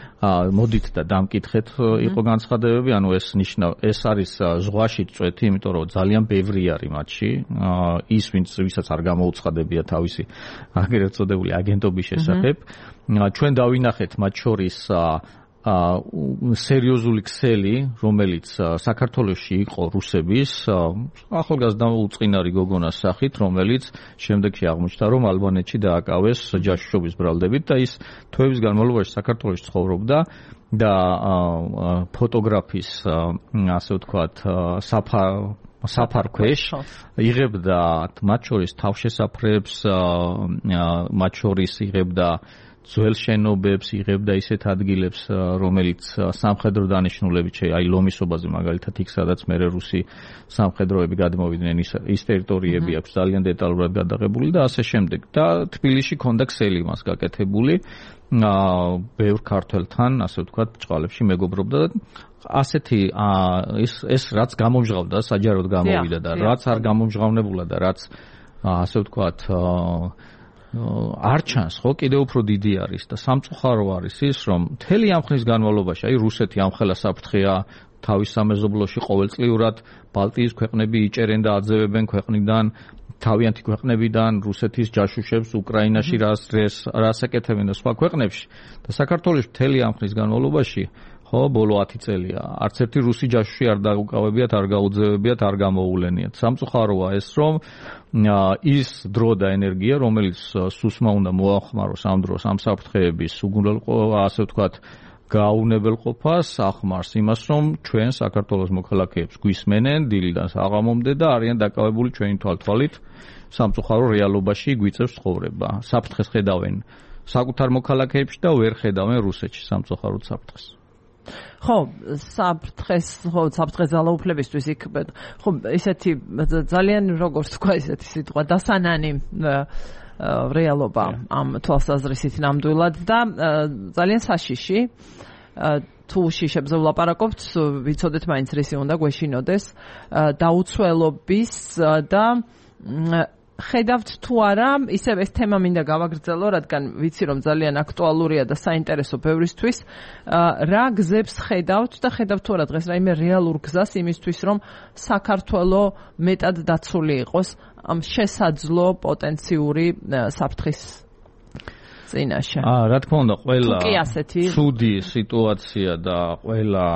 მოდით და დამკითხეთ იყო განცხადებები, ანუ ეს არის ზღვაში წვეთი, იმიტომ რომ ძალიან ბევრი არის მათში. ის ვისაც არ გამოუცხადებია თავისი აგრეთ წოდებული აგენტობის შესახებ. ჩვენ დავინახეთ მათ შორის სერიოზული ქსელი, რომელიც საქართველოში იყო რუსების ახალგაზრდა უწყინარი გოგონას სახით, რომელიც შემდეგში აღმოჩნდა, რომ ალბანეთში დააკავეს ჯაშუშობის ბრალდებით და ის თვეების განმავლობაში საქართველოში ცხოვრობდა და ფოტოგრაფის ასე ვთქვათ საფარქვეშ იღებდა მათ შორის თავშესაფრებს, მათ შორის იღებდა ძველ შენობებს იღებდა ისეთ ადგილებს, რომელიც სამხედრო დანიშნულებით აი ლომისობაზე მაგალითად იქ სადაც მერე რუსი სამხედროები გადმოვიდნენ ის ტერიტორიები აქვს ძალიან დეტალურად გადაღებული და ასე შემდეგ. და თბილისში ქონდა ქსელი მას გაკეთებული. ბევრ ქართველთან, ასე ვთქვათ, ჭყალებში მეგობრობდა და ასეთი ეს რაც გამომჟღავდა, საჯაროდ გამოვიდა და რაც არ გამომჟღავნებულა და რაც ასე ვთქვათ არ ჩანს, ხო, კიდევ უფრო დიდი არის და სამწუხარო არის ის, რომ მთელი ამ ხნის განმავლობაში, აი რუსეთი ამხელა საფრთხეა თავის სამეზობლოში ყოველწლიურად ბალტიის ქვეყნები იჭერენ და აძევებენ ქვეყნიდან თავიანთი ქვეყნებიდან რუსეთის ჯაშუშებს უკრაინაში რას ეკეთებენ და სხვა ქვეყნებში და საქართველოს მთელი ამ ხნის განმავლობაში ხო ბოლო 10 წელია არც ერთი რუსი ჯაშუში არ დაუკავებიათ, არ გაუძევებიათ, არ გამოუვლენიათ. სამწუხაროა ეს, რომ ის დრო და ენერგია, რომელიც სუსმა უნდა მოახმაროს ამ დროს ამ საფრთხეების ასე ვთქვათ გაუნებელყოფას ახმარს იმას, რომ ჩვენ საქართველოს მოქალაქეებს გვისმენენ დილიდან საღამომდე და არიან დაკავებული ჩვენი თვალთვალით სამწუხარო რეალობაში გვიწევს ცხოვრება. საფრთხეს ხედავენ საკუთარ მოქალაქეებში და ვერ ხედავენ რუსეთში სამწუხაროდ საფრთხეს. ხო, საფრთხეს ძალაუფლებისთვის იქ ხო ესეთი ძალიან როგორც თქვა ესეთი სიტყვა დასანანი რეალობა ამ თვალსაზრისით ნამდვილად და ძალიან საშიში თუ შიშებზე ვლაპარაკობთ ვიცოდეთ მაინც რისი უნდა გვეშინოდეს დაუცველობის და ხედავთ თუ არა ისევ ეს თემა მინდა გავაგრძელო რადგან ვიცი რომ ძალიან აქტუალურია და საინტერესო ბევრისთვის რა გზებს ხედავთ და ხედავთ თუ არა დღეს რაიმე რეალურ გზას იმისთვის რომ საქართველო მეტად დაცული იყოს ამ შესაძლო პოტენციური საფრთხის წინაშე. რა თქმა უნდა, ყველა ცუდი სიტუაცია და ყველა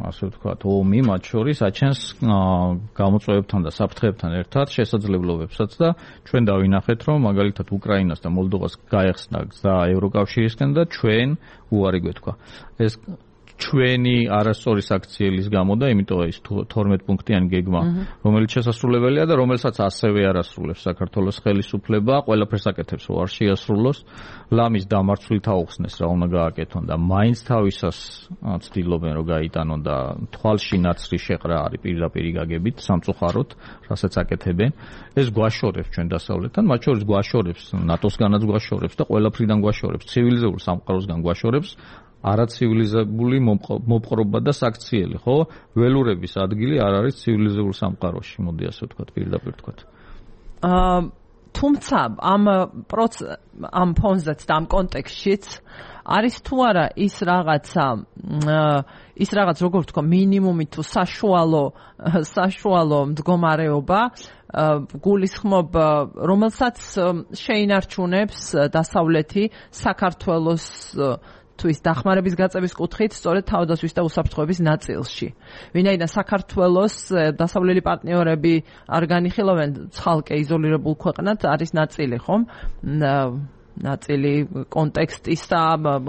ასე ვთქვათ, ომი მათ შორის აჩენს გამოწვევებთან და საფრთხეებთან ერთად შესაძლებლობებსაც და ჩვენ დავინახეთ, რომ მაგალითად უკრაინას და მოლდოვას გაეხსნა გზა ევროკავშირისკენ და ჩვენ უარი გვეთქვა. ეს ჩვენი არასწორი საქციელის გამო და იმიტომ ის 12 პუნქტიანი გეგმა, რომელიც შესასრულებელია და რომელსაც ასევე არასრულებს საქართველოს ხელისუფლება, ყველაფერს აკეთებს, რომ არ შეასრულოს, ლამის დამარცვლით აუხსნეს რა უნდა გააკეთონ და მაინც თავისას ცდილობენ რომ გაიტანონ და თვალში ნაცრი შეყრა არის პირდაპირ გაგებით სამწუხაროდ, რასაც აკეთებენ. ეს გვაშორებს ჩვენ დასავლეთთან, მათ შორის გვაშორებს ნატოსგანაც გვაშორებს და ყველაფრიდან გვაშორებს, ცივილიზებულ სამყაროსგან გვაშორებს. არაცივილიზებული მოპყრობა და საქციელი, ხო? ველურების ადგილი არ არის ცივილიზებულ სამყაროში, მოდი ასე ვთქვათ, პირდაპირ ვთქვათ. თუმცა ამ ფონზეც და ამ კონტექსტშიც არის თუ არა ის რაღაც როგორ ვთქვა, მინიმუმი თუ საშუალო მდგომარეობა გულისხმობ, რომელსაც შეინარჩუნებს დასავლეთი საქართველოს თუ ის დახმარების გაწევის კუთხით, სწორედ თავდასხმის და უსაფრთხოების ნაწილში. ვინაიდან საქართველოს დასავლელი პარტნიორები არ განიხილავენ ცალკე იზოლირებულ ქვეყნად, არის ნაწილი, ხომ? ნაწილი კონტექსტის და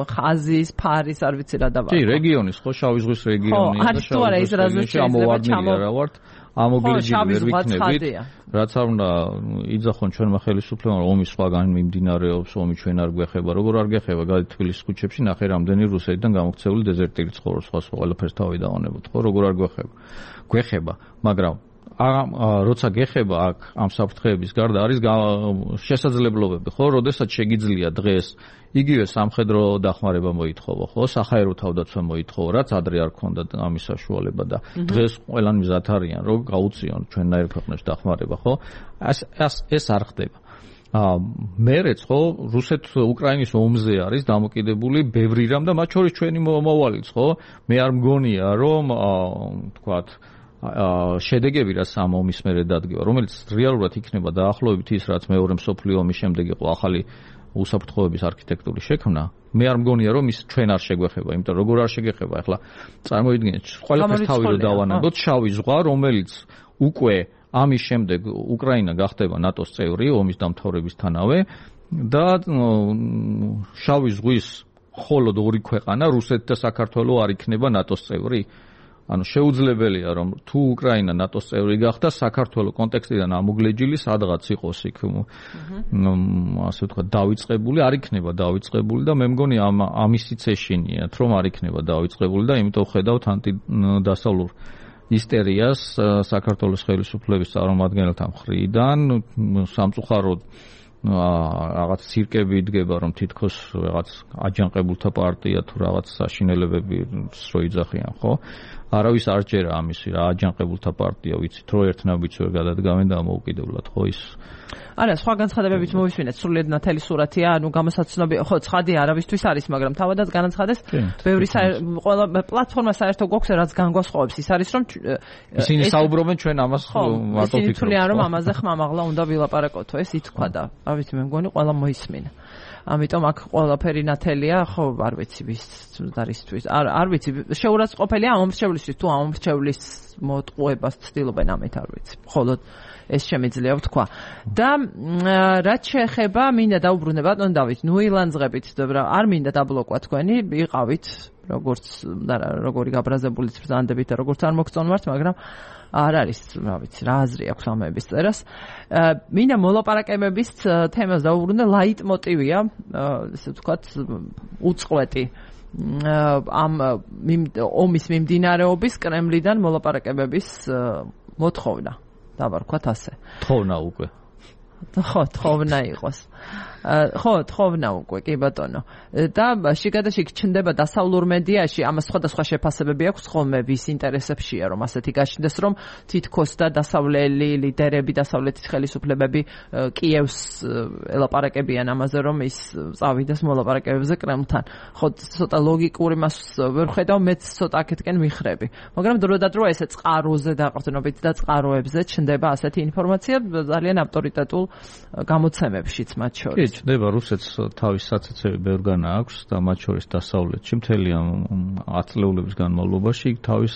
ხაზის, ფარის, არ ვიცი რა დავა. კი, რეგიონის, ხო, შავი ზღვის რეგიონი და არის თუ არა ის რაზეც შეიძლება ჩამოვარდნილი ამოგლეჯილი ვერ ვიქნებით, რაც არ უნდა იძახონ ჩვენმა ხელისუფლებამ, რომ ომი სხვაგან მიმდინარეობს, ომი ჩვენ არ გვეხება, როგორ არ გეხება, გადი თბილისის ქუჩებში, ნახე რამდენი რუსეთიდან გამოქცეული დეზერტირი ცხოვრობს, სხვა ყველაფერს თავი დავანებოთ, ხო, როგორ არ გვეხება, მაგრამ როცა გეხება აქ ამ საფრთხეების გარდა არის შესაძლებლობები, ხო, როდესაც შეგიძლია დღეს იგივე სამხედრო დახმარება მოითხოვო, ხო, საჰაერო თავდაცვა მოითხოვო, რაც ადრე არ ქონდა ამის საშუალება და დღეს ყველანი მზად არიან, რომ გაუწიონ ჩვენნაირ ქვეყნებში დახმარება, ხო? ეს არ ხდება. მერეც ხო რუსეთ-უკრაინის ომზე არის დამოკიდებული ბევრი რამ და მათ შორის ჩვენი მომავალიც, ხო? მე არ მგონია, რომ თქვათ შედეგები რაც ამ ომის მერე დადგება, რომელიც რეალურად იქნება დაახლოებით ის, რაც მეორე მსოფლიო ომის შემდეგ იყო ახალი უსაფრთხოების არქიტექტურის შექმნა, მე არ მგონია, რომ ის ჩვენ არ შეგვეხება, იმიტომ როგორ არ შეგეხება, ახლა წარმოიდგინეთ, ყველაფერს თავი რო დავანებოთ, შავი ზღვა, რომელიც უკვე ამის შემდეგ უკრაინა გახდება ნატოს წევრი, ომის დამთავრებისთანავე და შავი ზღვის მხოლოდ ორი ქვეყანა, რუსეთი და საქართველო არ იქნება ნატოს წევრი. ანუ შეუძლებელია რომ თუ უკრაინა ნატოს წევრი გახდა საქართველოს კონტექსტიდან ამოგლეჯილი სადღაც იყოს იქ ასე ვთქვათ დავიწყებული არ იქნება დავიწყებული და მე მგონი ამისიც ეშინიათ რომ არ იქნება დავიწყებული და იმიტომ ხედავთ ანტიდასავლურ ისტერიას საქართველოს ხელისუფლების წარმომადგენელთა მხრიდან სამწუხაროდ რაღაც ცირკები იდგება რომ თითქოს რაღაც აჯანყებულთა პარტია თუ რაღაც საშინელებები რო იძახიან ხო არავის არ ჯერა ამისი რა აჯანყებულთა პარტია ვიცით რომ ერთნაირად ვერ გადადგამენ დამოუკიდებლად ხო ის არა სხვა განცხადებებით მოვისმინეთ სრულიად ნათელი სურათია ანუ გამოსაცნობი ხო ცხადი არავისთვის არის მაგრამ თავადაც განაცხადეს ბევრი ყველა პლატფორმა საერთო გვაქვს რაც განგვასხოვებს ის არის რომ ისინი საუბრობენ ჩვენ ამას მარტო ისინი თვლიან რომ ამაზე ხმამაღლა უნდა ვილაპარაკოთო ეს ითქვა და არ ვიცი მე მგონი ყველა მოისმინა ამიტომ აქ ყველაფერი ნათელია ხო არ ვიცი ვის დარისთვის არ ვიცი შეურაცხყოფელია ამომრჩევლისთვის თუ ამომრჩევლის მოტყუებას ცდილობენ ამით არ ვიცი მხოლოდ ეს შემიძლია ვთქვა და რაც შეეხება მინდა დაუბრუნდე ბატონ დავით ნუილანძღებით არ მინდა დაბლოკვა თქვენი იყავით როგორც როგორი გაბრაზებულიც ბრძანდებით და როგორც არ მოგწონვართ მაგრამ არ არის რა ვიცი რა აზრი აქვს ამების წერას მინდა მოლაპარაკებების თემას დაუბრუნდე ლაიტმოტივია ესე ვთქვათ უწყვეტი ამ ომის მიმდინარეობის კრემლიდან მოლაპარაკებების მოთხოვნა დავარქვათ ასე თხოვნა უკვე ხო თხოვნა იყოს ხო თხოვნა უკვე კი ბატონო და შიგადაშიგ ჩნდება დასავლურ მედიაში ამას სხვადასხვა შეფასებები აქვს ხოლმე ვის ინტერესებშია რომ ასეთი გაჩნდეს რომ თითქოს და დასავლელი ლიდერები დასავლეთის ხელისუფლებები კიევს ელაპარაკებიან ამაზე რომ ის წავიდეს მოლაპარაკებებზე კრემლთან ხო ცოტა ლოგიკური მას ვერ ხედავ მეც ცოტა აქეთკენ მიხრები მაგრამ დროდადრო ესე წყაროზე დაყრდნობით და წყაროებზე ჩნდება ასეთი ინფორმაცია ძალიან ავტორიტეტულ გამოცემებშიც მათ შორის ჩნდება რუსეთს თავის საცეცები ბევრგანა აქვს და მათ შორის დასავლეთში მთელი 10 წლების განმავლობაში იქ თავის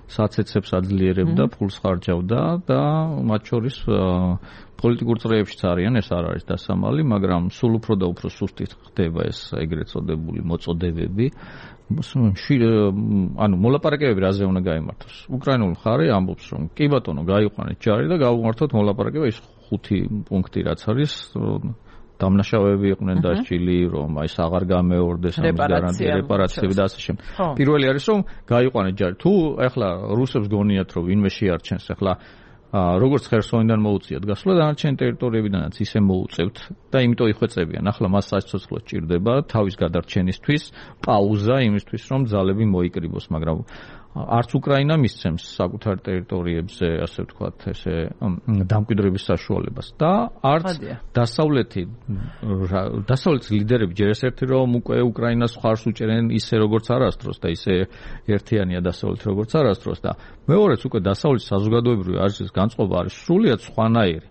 საცეცებს აძლიერებდა ფულს ხარჯავდა და მათ შორის პოლიტიკურ წრეებშიც არიან ეს არ არის დასამალი მაგრამ სულ უფრო და უფრო სუსტით ხდება ეს ეგრეთ წოდებული მოწოდებები ანუ მოლაპარაკებები რაზე უნდა გაიმართოს უკრაინული მხარე ამბობს რომ კი ბატონო გაიყვანეთ ჯარი და გავუმართოთ მოლაპარაკება ის 5 პუნქტი რაც არის დამნაშავეები იყვნენ დასჯილი რომ აი ეს აღარ გამეორდეს ამის გარანტია რეპარაციები და ასე შემდეგ. პირველი არის რომ გაიყვანეთ ჯარი. თუ ეხლა რუსებს გონიათ რომ ვინმე შეარჩენს ეხლა როგორც ხერსონიდან მოუწიათ გასვლა დანარჩენი ტერიტორიებიდანაც ისე მოუწევთ და იმიტომ იხვეწებიან. ახლა მას საცოცხლო სჭირდება თავის გადარჩენისთვის პაუზა იმისთვის რომ ძალები მოიკრიბოს, მაგრამ არც უკრაინა მისცემს საკუთარ ტერიტორიებზე, ასე ვთქვათ, ესე დამკვიდრების საშუალებას და არც დასავლეთის ლიდერები ჯერ ერთი რომ უკვე უკრაინას ხარს უჭერენ ისე როგორც არასდროს და ისე ერთიანია დასავლეთი როგორც არასდროს და მეორეც უკვე დასავლეთის საზოგადოებრივი აზრის განწყობა არის სრულიად სხვანაირი.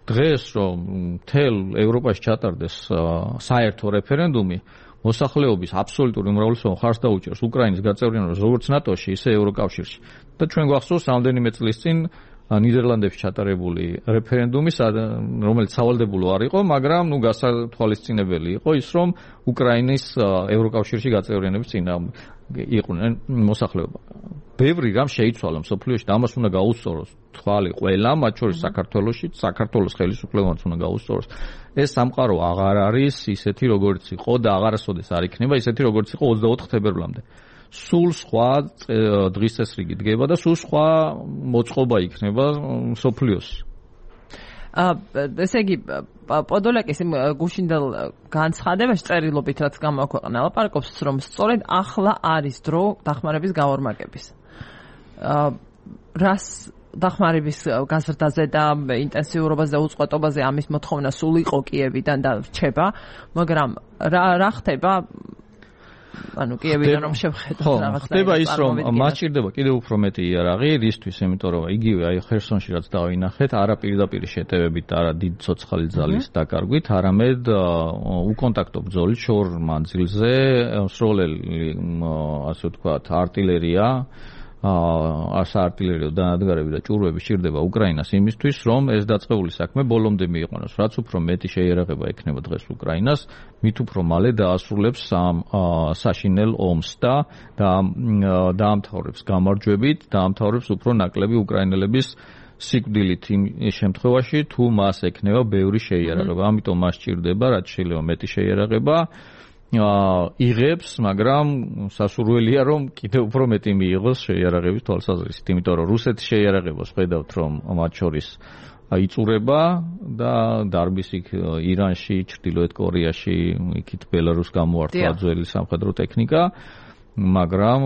დღეს რომ მთელ ევროპაში ჩატარდეს საერთო რეფერენდუმი მოსახლეობის აბსოლუტური უმრავლესობა ხარს დაუჭერს უკრაინის გაწევრიანებას როგორც ნატოში, ისე ევროკავშირში. და ჩვენ გვახსოვს რამდენიმე წლის წინ ნიდერლანდებში ჩატარებული რეფერენდუმი, რომელიც სავალდებულო არ იყო, მაგრამ გასათვალისწინებელი იყო ის, რომ უკრაინის ევროკავშირში გაწევრიანების წინააღმდეგ იყვნენ მოსახლეობა. ბევრი რამ შეიცვალა მსოფლიოში და ამას უნდა გაუსწოროს თვალი ყველა, მათ შორის საქართველოს ხელისუფლებამ უნდა გაუსწოროს. ეს სამყარო აღარ არის ისეთი როგორც იყო და აღარასოდეს არ იქნება ისეთი როგორც იყო 24 თებერვლამდე. სულ სხვა დღის წესრიგი დგება და სულ სხვა მოწყობა იქნება მსოფლიოს. ესე იგი პოდოლაკის გუშინდელ განცხადებაში წერილობით რაც გამოაქვეყნა ლაპარაკობს რომ სწორედ ახლა არის დრო დახმარების გავორმაგების. რას დახმარების გაზრდაზე და ინტენსიურობაზე და უწყვეტობაზე ამის მოთხოვნა სულ იყო კიევიდან და რჩება, მაგრამ რა ხდება ანუ კიევიდან რომ შევხედოთ რაღაც ხდება ის რომ მას ჭირდება კიდევ უფრო მეტი იარაღი რისთვის, იმიტომ რომ იგივე აი ხერსონში რაც დავინახეთ, არა პირდაპირ შეტევებით, არა დიდ ცოცხალი ძალის დაკარგვით, არამედ უკონტაქტო ბრძოლით შორ მანძილზე, სროლელი ასე ვთქვათ, артиლერია საარტილერიო დანადგარები და ჭურვები სჭირდება უკრაინას იმისთვის, რომ ეს დაწყებული საქმე ბოლომდე მიიყვანოს. რაც უფრო მეტი შეიარაღება ექნება დღეს უკრაინას, მით უფრო მალე დაასრულებს ამ საშინელ ომს და დაამთავრებს გამარჯვებით, დაამთავრებს უფრო ნაკლები უკრაინელების სიკვდილით იმ შემთხვევაში, თუ მას ექნება ბევრი შეიარაღება. ამიტომ მას სჭირდება, რაც შეიძლება მეტი შეიარაღება იღებს, მაგრამ სასურველია, რომ კიდევ უფრო მეტი მიიღოს შეიარაღების თვალსაზრისით, იმიტომ რომ რუსეთის შეიარაღებას ხედავთ, რომ მათ შორის იწურება და დარბის იქ ირანში, ჩრდილოეთ კორეაში, იქით ბელარუსს გამოართვა ძველი სამხედრო ტექნიკა, მაგრამ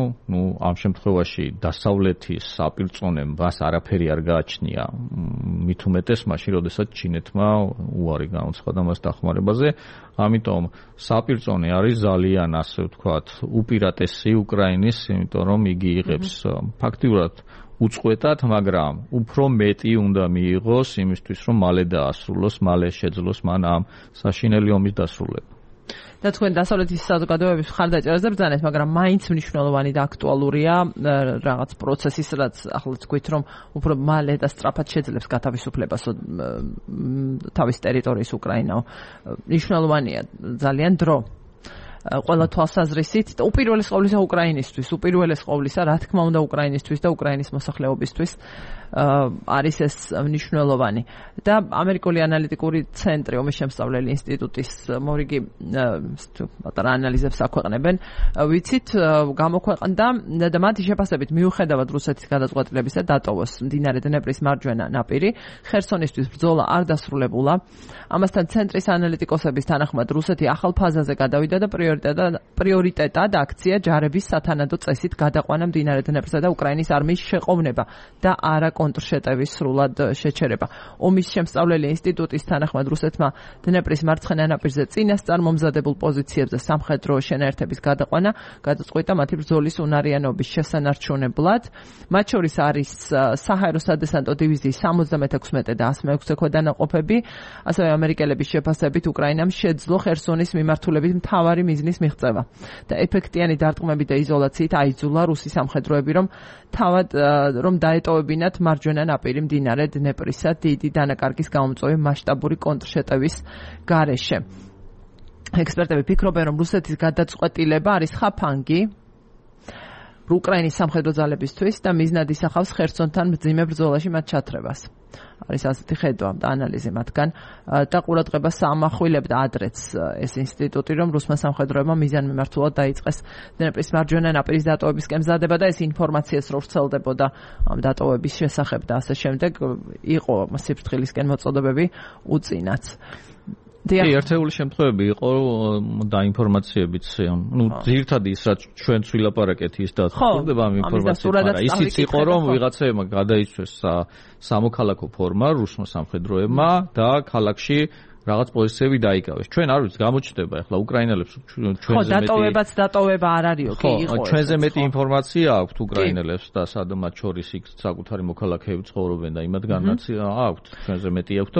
ამ შემთხვევაში დასავლეთის საპირწონემ მას არაფერი არ გააჩნია. მით უმეტეს მაშინ, როდესაც ჩინეთმა უარი განუცხადა მას დახმარებაზე. ამიტომ საპირწონე არის ძალიან, ასე ვთქვათ, უპირატესი უკრაინის, იმიტომ რომ იგი იღებს ფაქტიურად უწყვეტად, მაგრამ უფრო მეტი უნდა მიიღოს იმისთვის, რომ მალე დაასრულოს, მალე შეძლოს მან ამ საშინელი ომის დასრულება. და თქვენ დასავლეთის საზოგადოების მხარდაჭერაზე ბრძანეთ, მაგრამ მაინც მნიშვნელოვანი და აქტუალურია რაღაც პროცესის, რაც ახლა თქვით, რომ უფრო მალე და სწრაფად შეძლებს გათავისუფლებას თავის ტერიტორიის უკრაინაო. მნიშვნელოვანია ძალიან დრო. ყველა თვალსაზრისით და უპირველეს ყოვლისა უკრაინისთვის, უპირველეს ყოვლისა, რა თქმა უნდა უკრაინისთვის და უკრაინის მოსახლეობისთვის არის ეს მნიშვნელოვანი. და ამერიკული ანალიტიკური ცენტრი, ომის შემსწავლელი ინსტიტუტის მორიგი პატარა ანალიზებს აქვეყნებენ, ვიცით, გამოქვეყნდა და მათი შეფასებით მიუხედავად რუსეთის გადაწყვეტილებისა დატოვოს მდინარე დნეპრის მარჯვენა ნაპირი, ხერსონისთვის ბრძოლა არ დასრულებულა. ამასთან ცენტრის ანალიტიკოსების თანახმად რუსეთი ახალ ფაზაზე გადავიდა და პრიორიტეტად აქცია ჯარების სათანადო წესით გადაყვანა მდინარე დნეპრსა და უკრაინის არმიის შეყოვნება და არა კონტრშეტევის სრულად შეჩერება. ომის შემსწავლელი ინსტიტუტის თანახმად რუსეთმა დნეპრის მარცხენა ნაპირზე წინასწარ მომზადებულ პოზიციებზე სამხედრო შენაერთების გადაყვანა გადაწყვიტა მათი ბრძოლის უნარიანობის შესანარჩუნებლად. მათ შორის არის საჰაერო სადესანტო დივიზიის 76 და 106 ქვედანაყოფები, ასევე ამერიკელების შეფასებით უკრაინამ შეძლო ხერსონის მიმართულებით მთავარი მიზნის მიღწევა და ეფექტიანი დარტყმებით და იზოლაციით აიძულა რუსი სამხედროები, რომ დაეტოვებინათ მარჯვენა ნაპირი მდინარე დნეპრისა დიდი დანაკარგის გამომწვევი მასშტაბური კონტრშეტევის გარეშე. ექსპერტები ფიქრობენ, რომ რუსეთის გადაწყვეტილება არის ხაფანგი უკრაინის სამხედრო ძალებისთვის და მიზნად ისახავს ხერსონთან მძიმე ბრძოლაში მათ ჩათრებას. არის ასეთი ხედვა და ანალიზი მათგან და ყურადღებას ამახვილებდა ადრეც ეს ინსტიტუტი, რომ რუსმა სამხედროებმა მიზანმიმართულად დაიწყეს დნეპრის მარჯვენა ნაპირის დატოვებისკენ მზადება და ეს ინფორმაციას რო ვრცელდებოდა ამ დატოვების შესახებ და ასე შემდეგ იყო სიფრთხილისკენ მოწოდებები უწინაც. ერთეული შემთხვევები იყო და ინფორმაციებიც, ძირითადად ის რაც ჩვენც ვილაპარაკეთ ის დაწყდება ამ ინფორმაციით, ისიც იყო რომ ვიღაცაებმა გადაიცვეს სამოქალაქო ფორმა რუსმა სამხედროებმა და ქალაქში რაღაც პოზიციები დაიკავეს. ჩვენ არ ვიცით, გამოჩნდება ახლა უკრაინელებს ჩვენზე მეტი დატოვება არ არისო, კი იყო. ჩვენზე მეტი ინფორმაცია აქვთ უკრაინელებს და სადაც შორის იქ საკუთარი მოქალაქეები ცხოვრობენ და იმათგანაც აქვთ, ჩვენზე მეტი აქვთ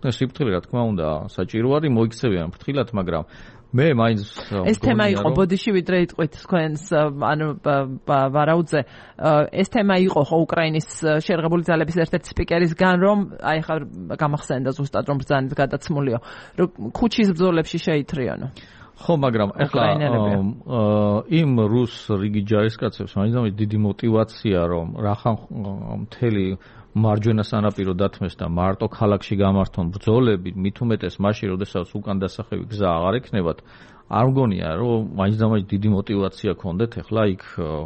და სიფრთხილე რა თქმა უნდა საჭირო არის მოიქცევიან ფრთხილად, მაგრამ მე მაინც ეს თემა იყო ბოდიში ვიდრე იტყვით თქვენს ანუ ვარაუდზე ეს თემა იყო ხო უკრაინის შეერღებული ძალების ერთ-ერთი სპიკერისგან რომ აი ხა გამახსენდა ზუსტად რომ ბრძანეთ გადაცმულიო რომ ქუჩის ბრძოლებში შეითრიანო ხო მაგრამ ახლა იმ რუს რიგი ჯარისკაცებს მაინც დიდი мотиваცია რომ რახან მთელი მარჯვენა სანაპირო დათმეს და მარტო ქალაქში გამართონ ბრძოლები, მით უმეტეს მაშინ, როდესაც უკან დასახევი გზა აღარ ექნებათ, არ მგონია, რომ მაინც დიდი мотиваცია ქონდეთ ახლა იქ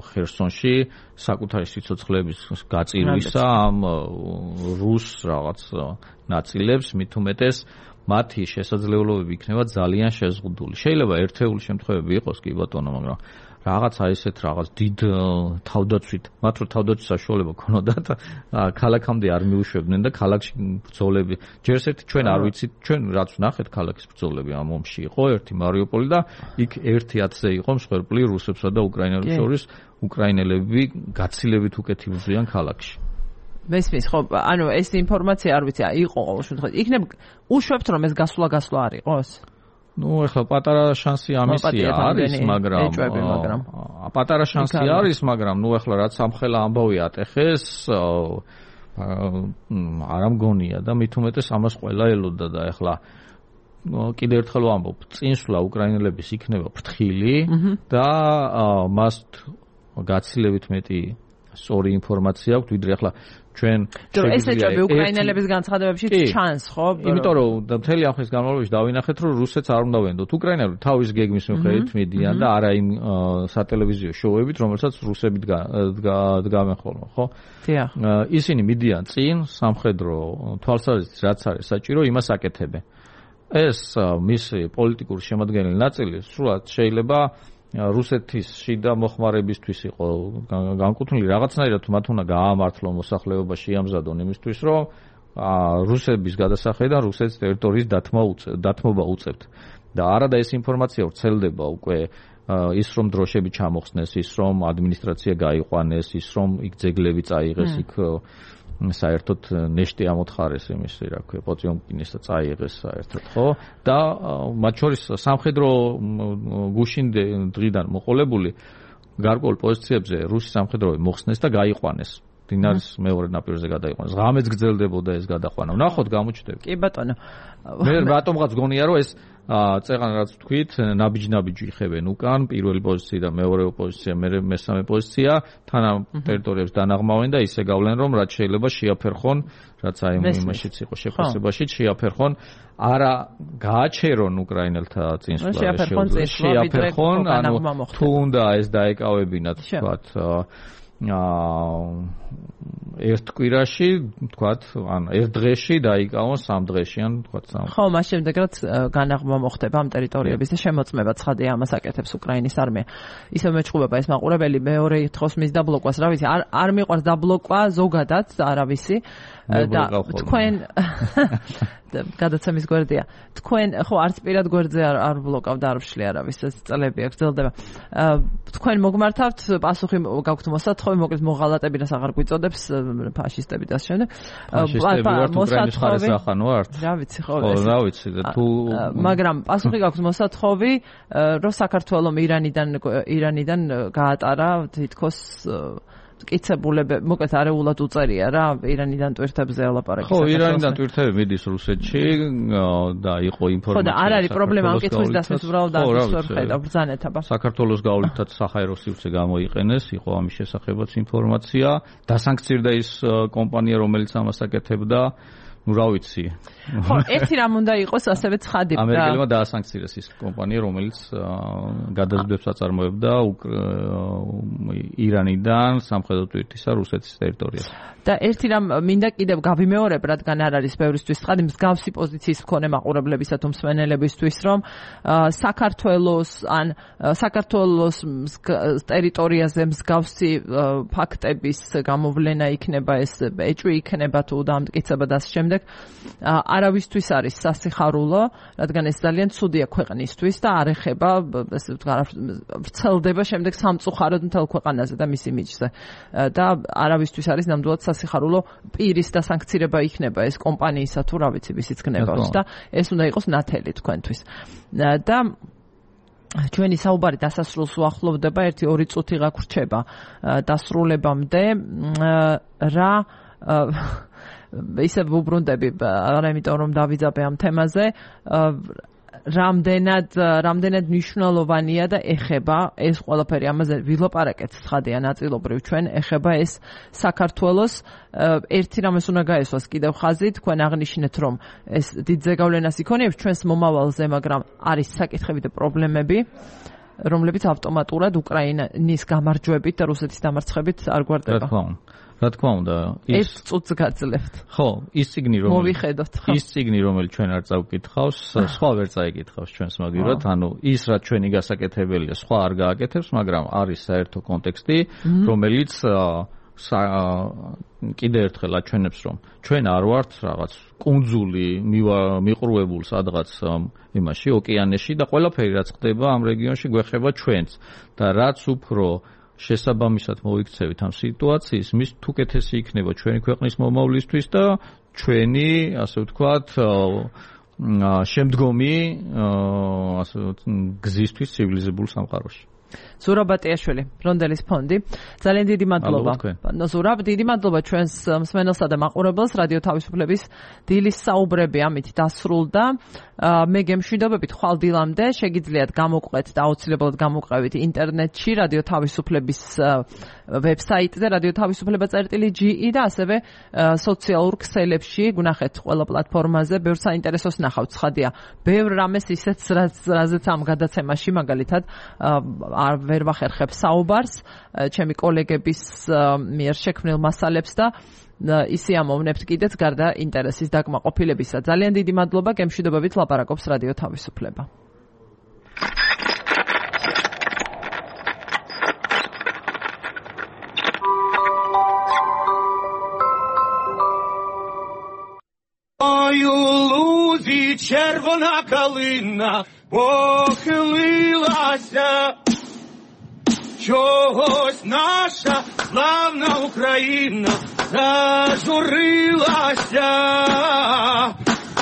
ხერსონში საკუთარი სიცოცხლეების გაწირვისა ამ რუს რაღაც ნაწილებს, მით უმეტეს მათი შესაძლებლობები იქნება ძალიან შეზღუდული. შეიძლება ერთეული შემთხვევები იყოს კი ბატონო, მაგრამ რაღაცა ისეთ რაღაც დიდ თავდაცვით, მათ რო თავდაცვის საშუალება ქონოდათ, ქალაქამდე არ მიუშვებდნენ და ქალაქში ბრძოლები. ჯერს ერთი ჩვენ არ ვიცით, ჩვენ რაც ვნახეთ ქალაქის ბრძოლები ამ ომში იყო ერთი მარიუპოლი და იქ 1-10-ზე იყო მსხვერპლი რუსებსა და უკრაინელებს შორის, უკრაინელები გაცილებით უკეთი ბრძვიან ქალაქში. მესმის ხო, ანუ ეს ინფორმაცია არ ვიცი, იყო ყოველ შემთხვევაში. იქნებ უშვებთ რომ ეს გასვლა არ იყოს? ну ეხლა პატარა შანსი ამისია არის, მაგრამ პატარა შანსი არის, მაგრამ ну ეხლა რაც ამხელა ამბავი ატეხეს, არ მგონია და მით უმეტეს ამას ყველა ელოდა და ეხლა კიდევ ერთხელ ვამბობ, წინსვლა უკრაინელების იქნება ფრთხილი და მას გაცილებით მეტი სწორი ინფორმაცია აქვს, ვიდრე ახლა ჩვენ შეგვიძლია უკრაინელების განცხადებებში ჩანს, ხო? იმიტომ რომ მთელი ამ ხნის განმავლობაში დავინახეთ, რომ რუსეთს არ უნდა ვენდოთ. უკრაინელები თავის გეგმის მიხედვით მიდიან და არა იმ სატელევიზიო შოუებით, რომელსაც რუსები დგამენ ხოლმე, ხო? დიახ. ისინი მიდიან წინ, სამხედრო თვალსაზრისით რაც არის საჭირო, იმას აკეთებენ. ეს მისი პოლიტიკური შემადგენელი ნაწილი სრულად შეიძლება რუსეთის შიდა მოხმარებისთვის იყო განკუთვნილი რაღაცნაირად მათ უნდა გაამართლონ მოსახლეობა შეამზადონ იმისთვის რომ რუსების გადასახედიდან რუსეთის ტერიტორიის დათმობა უწევთ და არადა ეს ინფორმაცია ვრცელდება უკვე ის რომ დროშები ჩამოხსნეს ის რომ ადმინისტრაცია გაიყვანეს ის რომ იქ ძეგლები წაიღეს იქ საერთოდ ნეშტი ამოთხარეს იმის რა ქვია პოტიომკინის და წაიღეს საერთოდ ხო და მათ შორის სამხედრო გუშინ დღიდან მოყოლებული გარკვეულ პოზიციებზე რუსი სამხედროები მოხსნეს და გაიყვანეს დინარის მეორე ნაპირზე გადაიყვანეს ღამეც გრძელდებოდა ეს გადაყვანა ვნახოთ გამოჩნდება კი ბატონო მე რატომღაც გონია რომ ეს წეღან რაც თქვით ნაბიჯ-ნაბიჯი იხებენ უკან პირველი პოზიცია და მეორე პოზიცია მესამე პოზიცია თან ამ ტერიტორიებს დანაღმავენ და ისე გავლენ რომ რაც შეიძლება შეაფერხონ რაც აი იმაშიც იყო შეფასებაში შეაფერხონ არა გააჩერონ უკრაინელთა წინსვლა შეაფერხონ ანუ თუ უნდა ეს დაეკავებინათ თქვათ ერთ კვირაში, თქვათ, ან ერთ დღეში დაიკავონ 3 დღეში, ან თქვათ 3. ხო, მას შემდეგ რაც განაღმა მოხდება ამ ტერიტორიების და შემოწმება ცხადია ამას აკეთებს უკრაინის არმია. ისევ მეჭუბება ეს მაყურებელი მეორე თხოს მის დაბლოკვას, რა ვიცი, არ მიყვარს დაბლოკვა ზოგადად, არავისი და თქვენ გადაცემის გვერდია. თქვენ ხო არც პირად გვერდზე არ ბლოკავ და არ ვშლი არავის ეს წლები აქ გრძელდება. თქვენ მოგმართავთ პასუხი გაქვთ მოსათხოვი, მოკლედ მოღალატები რას აღარ გვიწოდებს ფაშისტები და ამ შემდეგ. მოსათხოვი ახანო ართ. რა ვიცი ხო ეს. რა ვიცი და თუ მაგრამ პასუხი გაქვთ მოსათხოვი, რომ საქართველოს ირანიდან გაატარა თითქოს მტკიცებულები, მოკლედ არეულად უწერია რა, ირანიდან ტვირთებზე ელაპარაკის. ხო, ირანიდან ტვირთები მიდის რუსეთში და იყო ინფორმაცია. ხო და არ არის პრობლემა ამ კითხვის დასმის უბრალოდ დასვერ ხედავ ბრძანეთ აბა. საქართველოს გავლითაც საჰაერო სივრცე გამოიყენეს, იყო ამის შესახებაც ინფორმაცია, დასანქცირდა ის კომპანია, რომელიც ამას აკეთებდა. ну რა ვიცი. ხო, ერთი რამ უნდა იყოს ასევე ცხადი. ამერიკელებმა დაასანქცირეს ის კომპანია, რომელიც გადაზიდვებს აწარმოებდა ირანიდან სამხედრო ტვირთისა რუსეთის ტერიტორიაზე. და ერთი რამ მინდა კიდევ გავიმეორებ, რადგან არ არის ბევრისთვის ცხადი, მსგავსი პოზიციის მქონე მაყურებლებისა თუ მსმენელებისთვის, რომ საქართველოს ტერიტორიაზე მსგავსი ფაქტების გამოვლენა იქნება, ეს ეჭვი იქნება თუ დამტკიცება და ამ შემდეგ არავისთვის არის სასიხარულო, რადგან ეს ძალიან ცუდია ქვეყნისთვის და არ ეხება, ესე ვთქვათ, ვრცელდება შემდეგ სამწუხაროდ მთელ ქვეყანაზე და მის იმიჯზე. და არავისთვის არის ნამდვილად სასიხარულო პირის დასანქცირება იქნება ეს კომპანიისა თუ რა ვიცი ვისიც გნებავს და ეს უნდა იყოს ნათელი თქვენთვის. და ჩვენი საუბარი დასასრულს უახლოვდება 1-2 წუთი გაგვრჩება დასრულებამდე რა ისე ვუბრუნდები, არა იმიტომ რომ დავიძაბე ამ თემაზე, რამდენად მნიშვნელოვანია და ეხება ეს ყველაფერი, ამაზე ვილაპარაკეთ ცხადია ნაწილობრივ ჩვენ, ეხება ეს საქართველოს ერთი რამეს უნდა გაესვას კიდევ ხაზი, თქვენ აღნიშნეთ რომ ეს დიდ ზეგავლენას იქონიებს ჩვენს მომავალზე, მაგრამ არის საკითხები და პრობლემები, რომლებიც ავტომატურად უკრაინის გამარჯვებით და რუსეთის დამარცხებით არ გვარდება. რა თქმა უნდა, ის წუთს გაძლევთ. ხო, ის ციგნი რომელიც ჩვენ არ წავკითხავს, სხვა ვერ წაიკითხავს ჩვენს მაგივრად, ანუ ის რაც ჩვენი გასაკეთებელია, სხვა არ გააკეთებს, მაგრამ არის საერთო კონტექსტი, რომელიც კიდევ ერთხელ აჩვენებს, რომ ჩვენ არ ვართ რაღაც კუნძული მიყრუებულ სადღაც იმაში, ოკეანეში და ყველაფერი რაც ხდება ამ რეგიონში გვეხება ჩვენც და რაც უფრო შესაბამისად მოიქცევით ამ სიტუაციის, მის თუკეთესი იქნება ჩვენი ქვეყნის მომავლისთვის და ჩვენი, ასე ვთქვათ, შემდგომი გზისთვის ცივილიზებულ სამყაროში. ზურაბ ბატიაშვილი, რონდელის ფონდი. ძალიან დიდი მადლობა. ზურაბ, დიდი მადლობა ჩვენს მსმენელსა და მაყურებელს. რადიო თავისუფლების დილის საუბრები ამით დასრულდა. მე გემშვიდობებით ხვალ დილამდე შეგიძლიათ გამოყვეთ და აუცილებლად გამოყევით ინტერნეტში რადიო თავისუფლების ვებსაიტზე radioთავისუფლება.ge და ასევე სოციალურ ქსელებში გვნახეთ ყველა პლატფორმაზე. ბევრ საინტერესოს ნახავთ, ცხადია. ბევრ რამეს ისეც რაზეც ამ გადაცემაში მაგალითად არ ვერ ვახერხებ საუბარს ჩემი კოლეგების მიერ შექმნილ მასალებს და ისე ამოვნებთ კიდეც გარდა ინტერესის დაკმაყოფილებისა. ძალიან დიდი მადლობა, გემშვიდობებით ლაპარაკობს რადიო თავისუფლება. Лузі червона калина похилилася, чогось наша славна Україна зажурилася,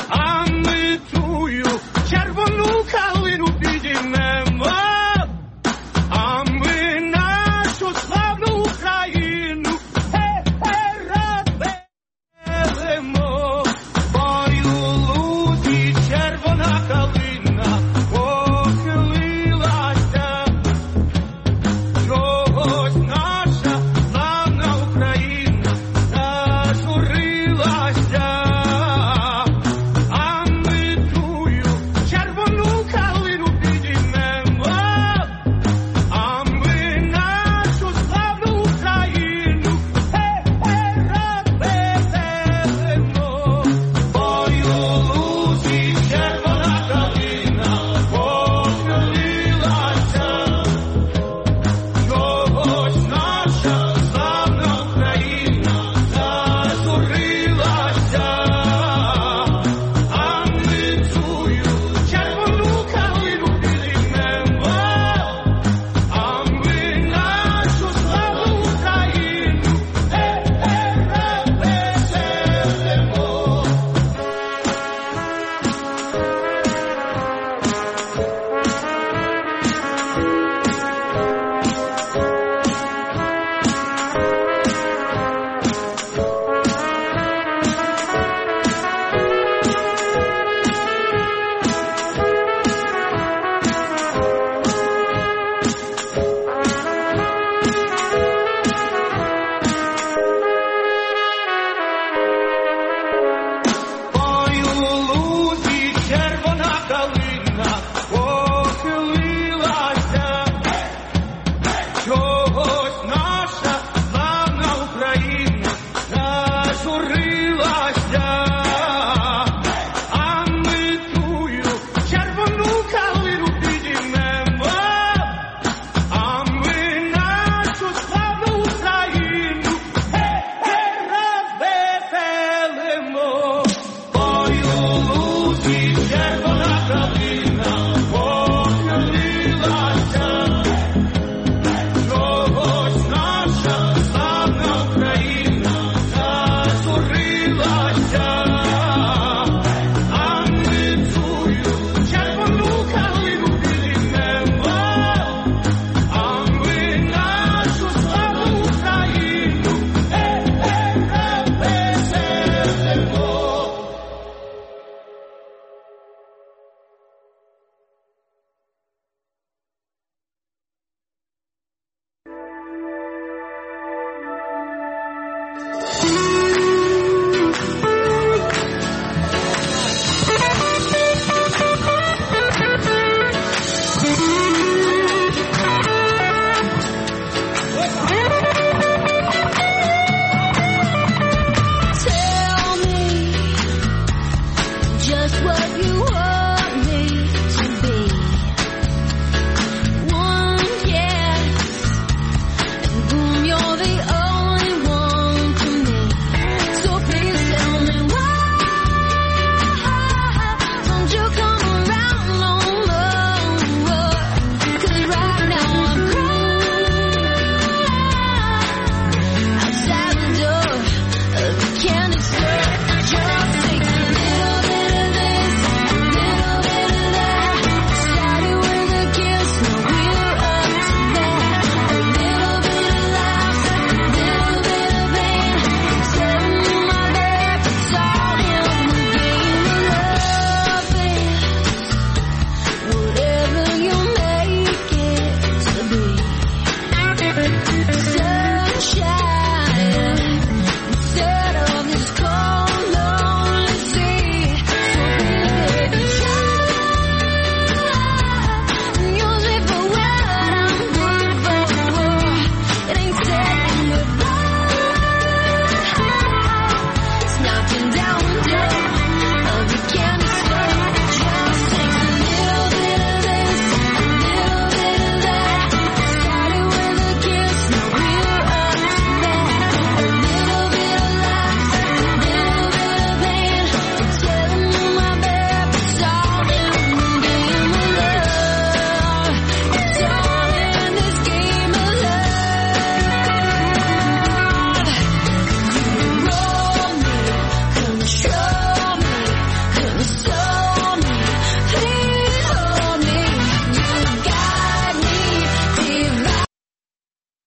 а ми тую червону калину підіймемо, а ми нашу славну Україну радимо.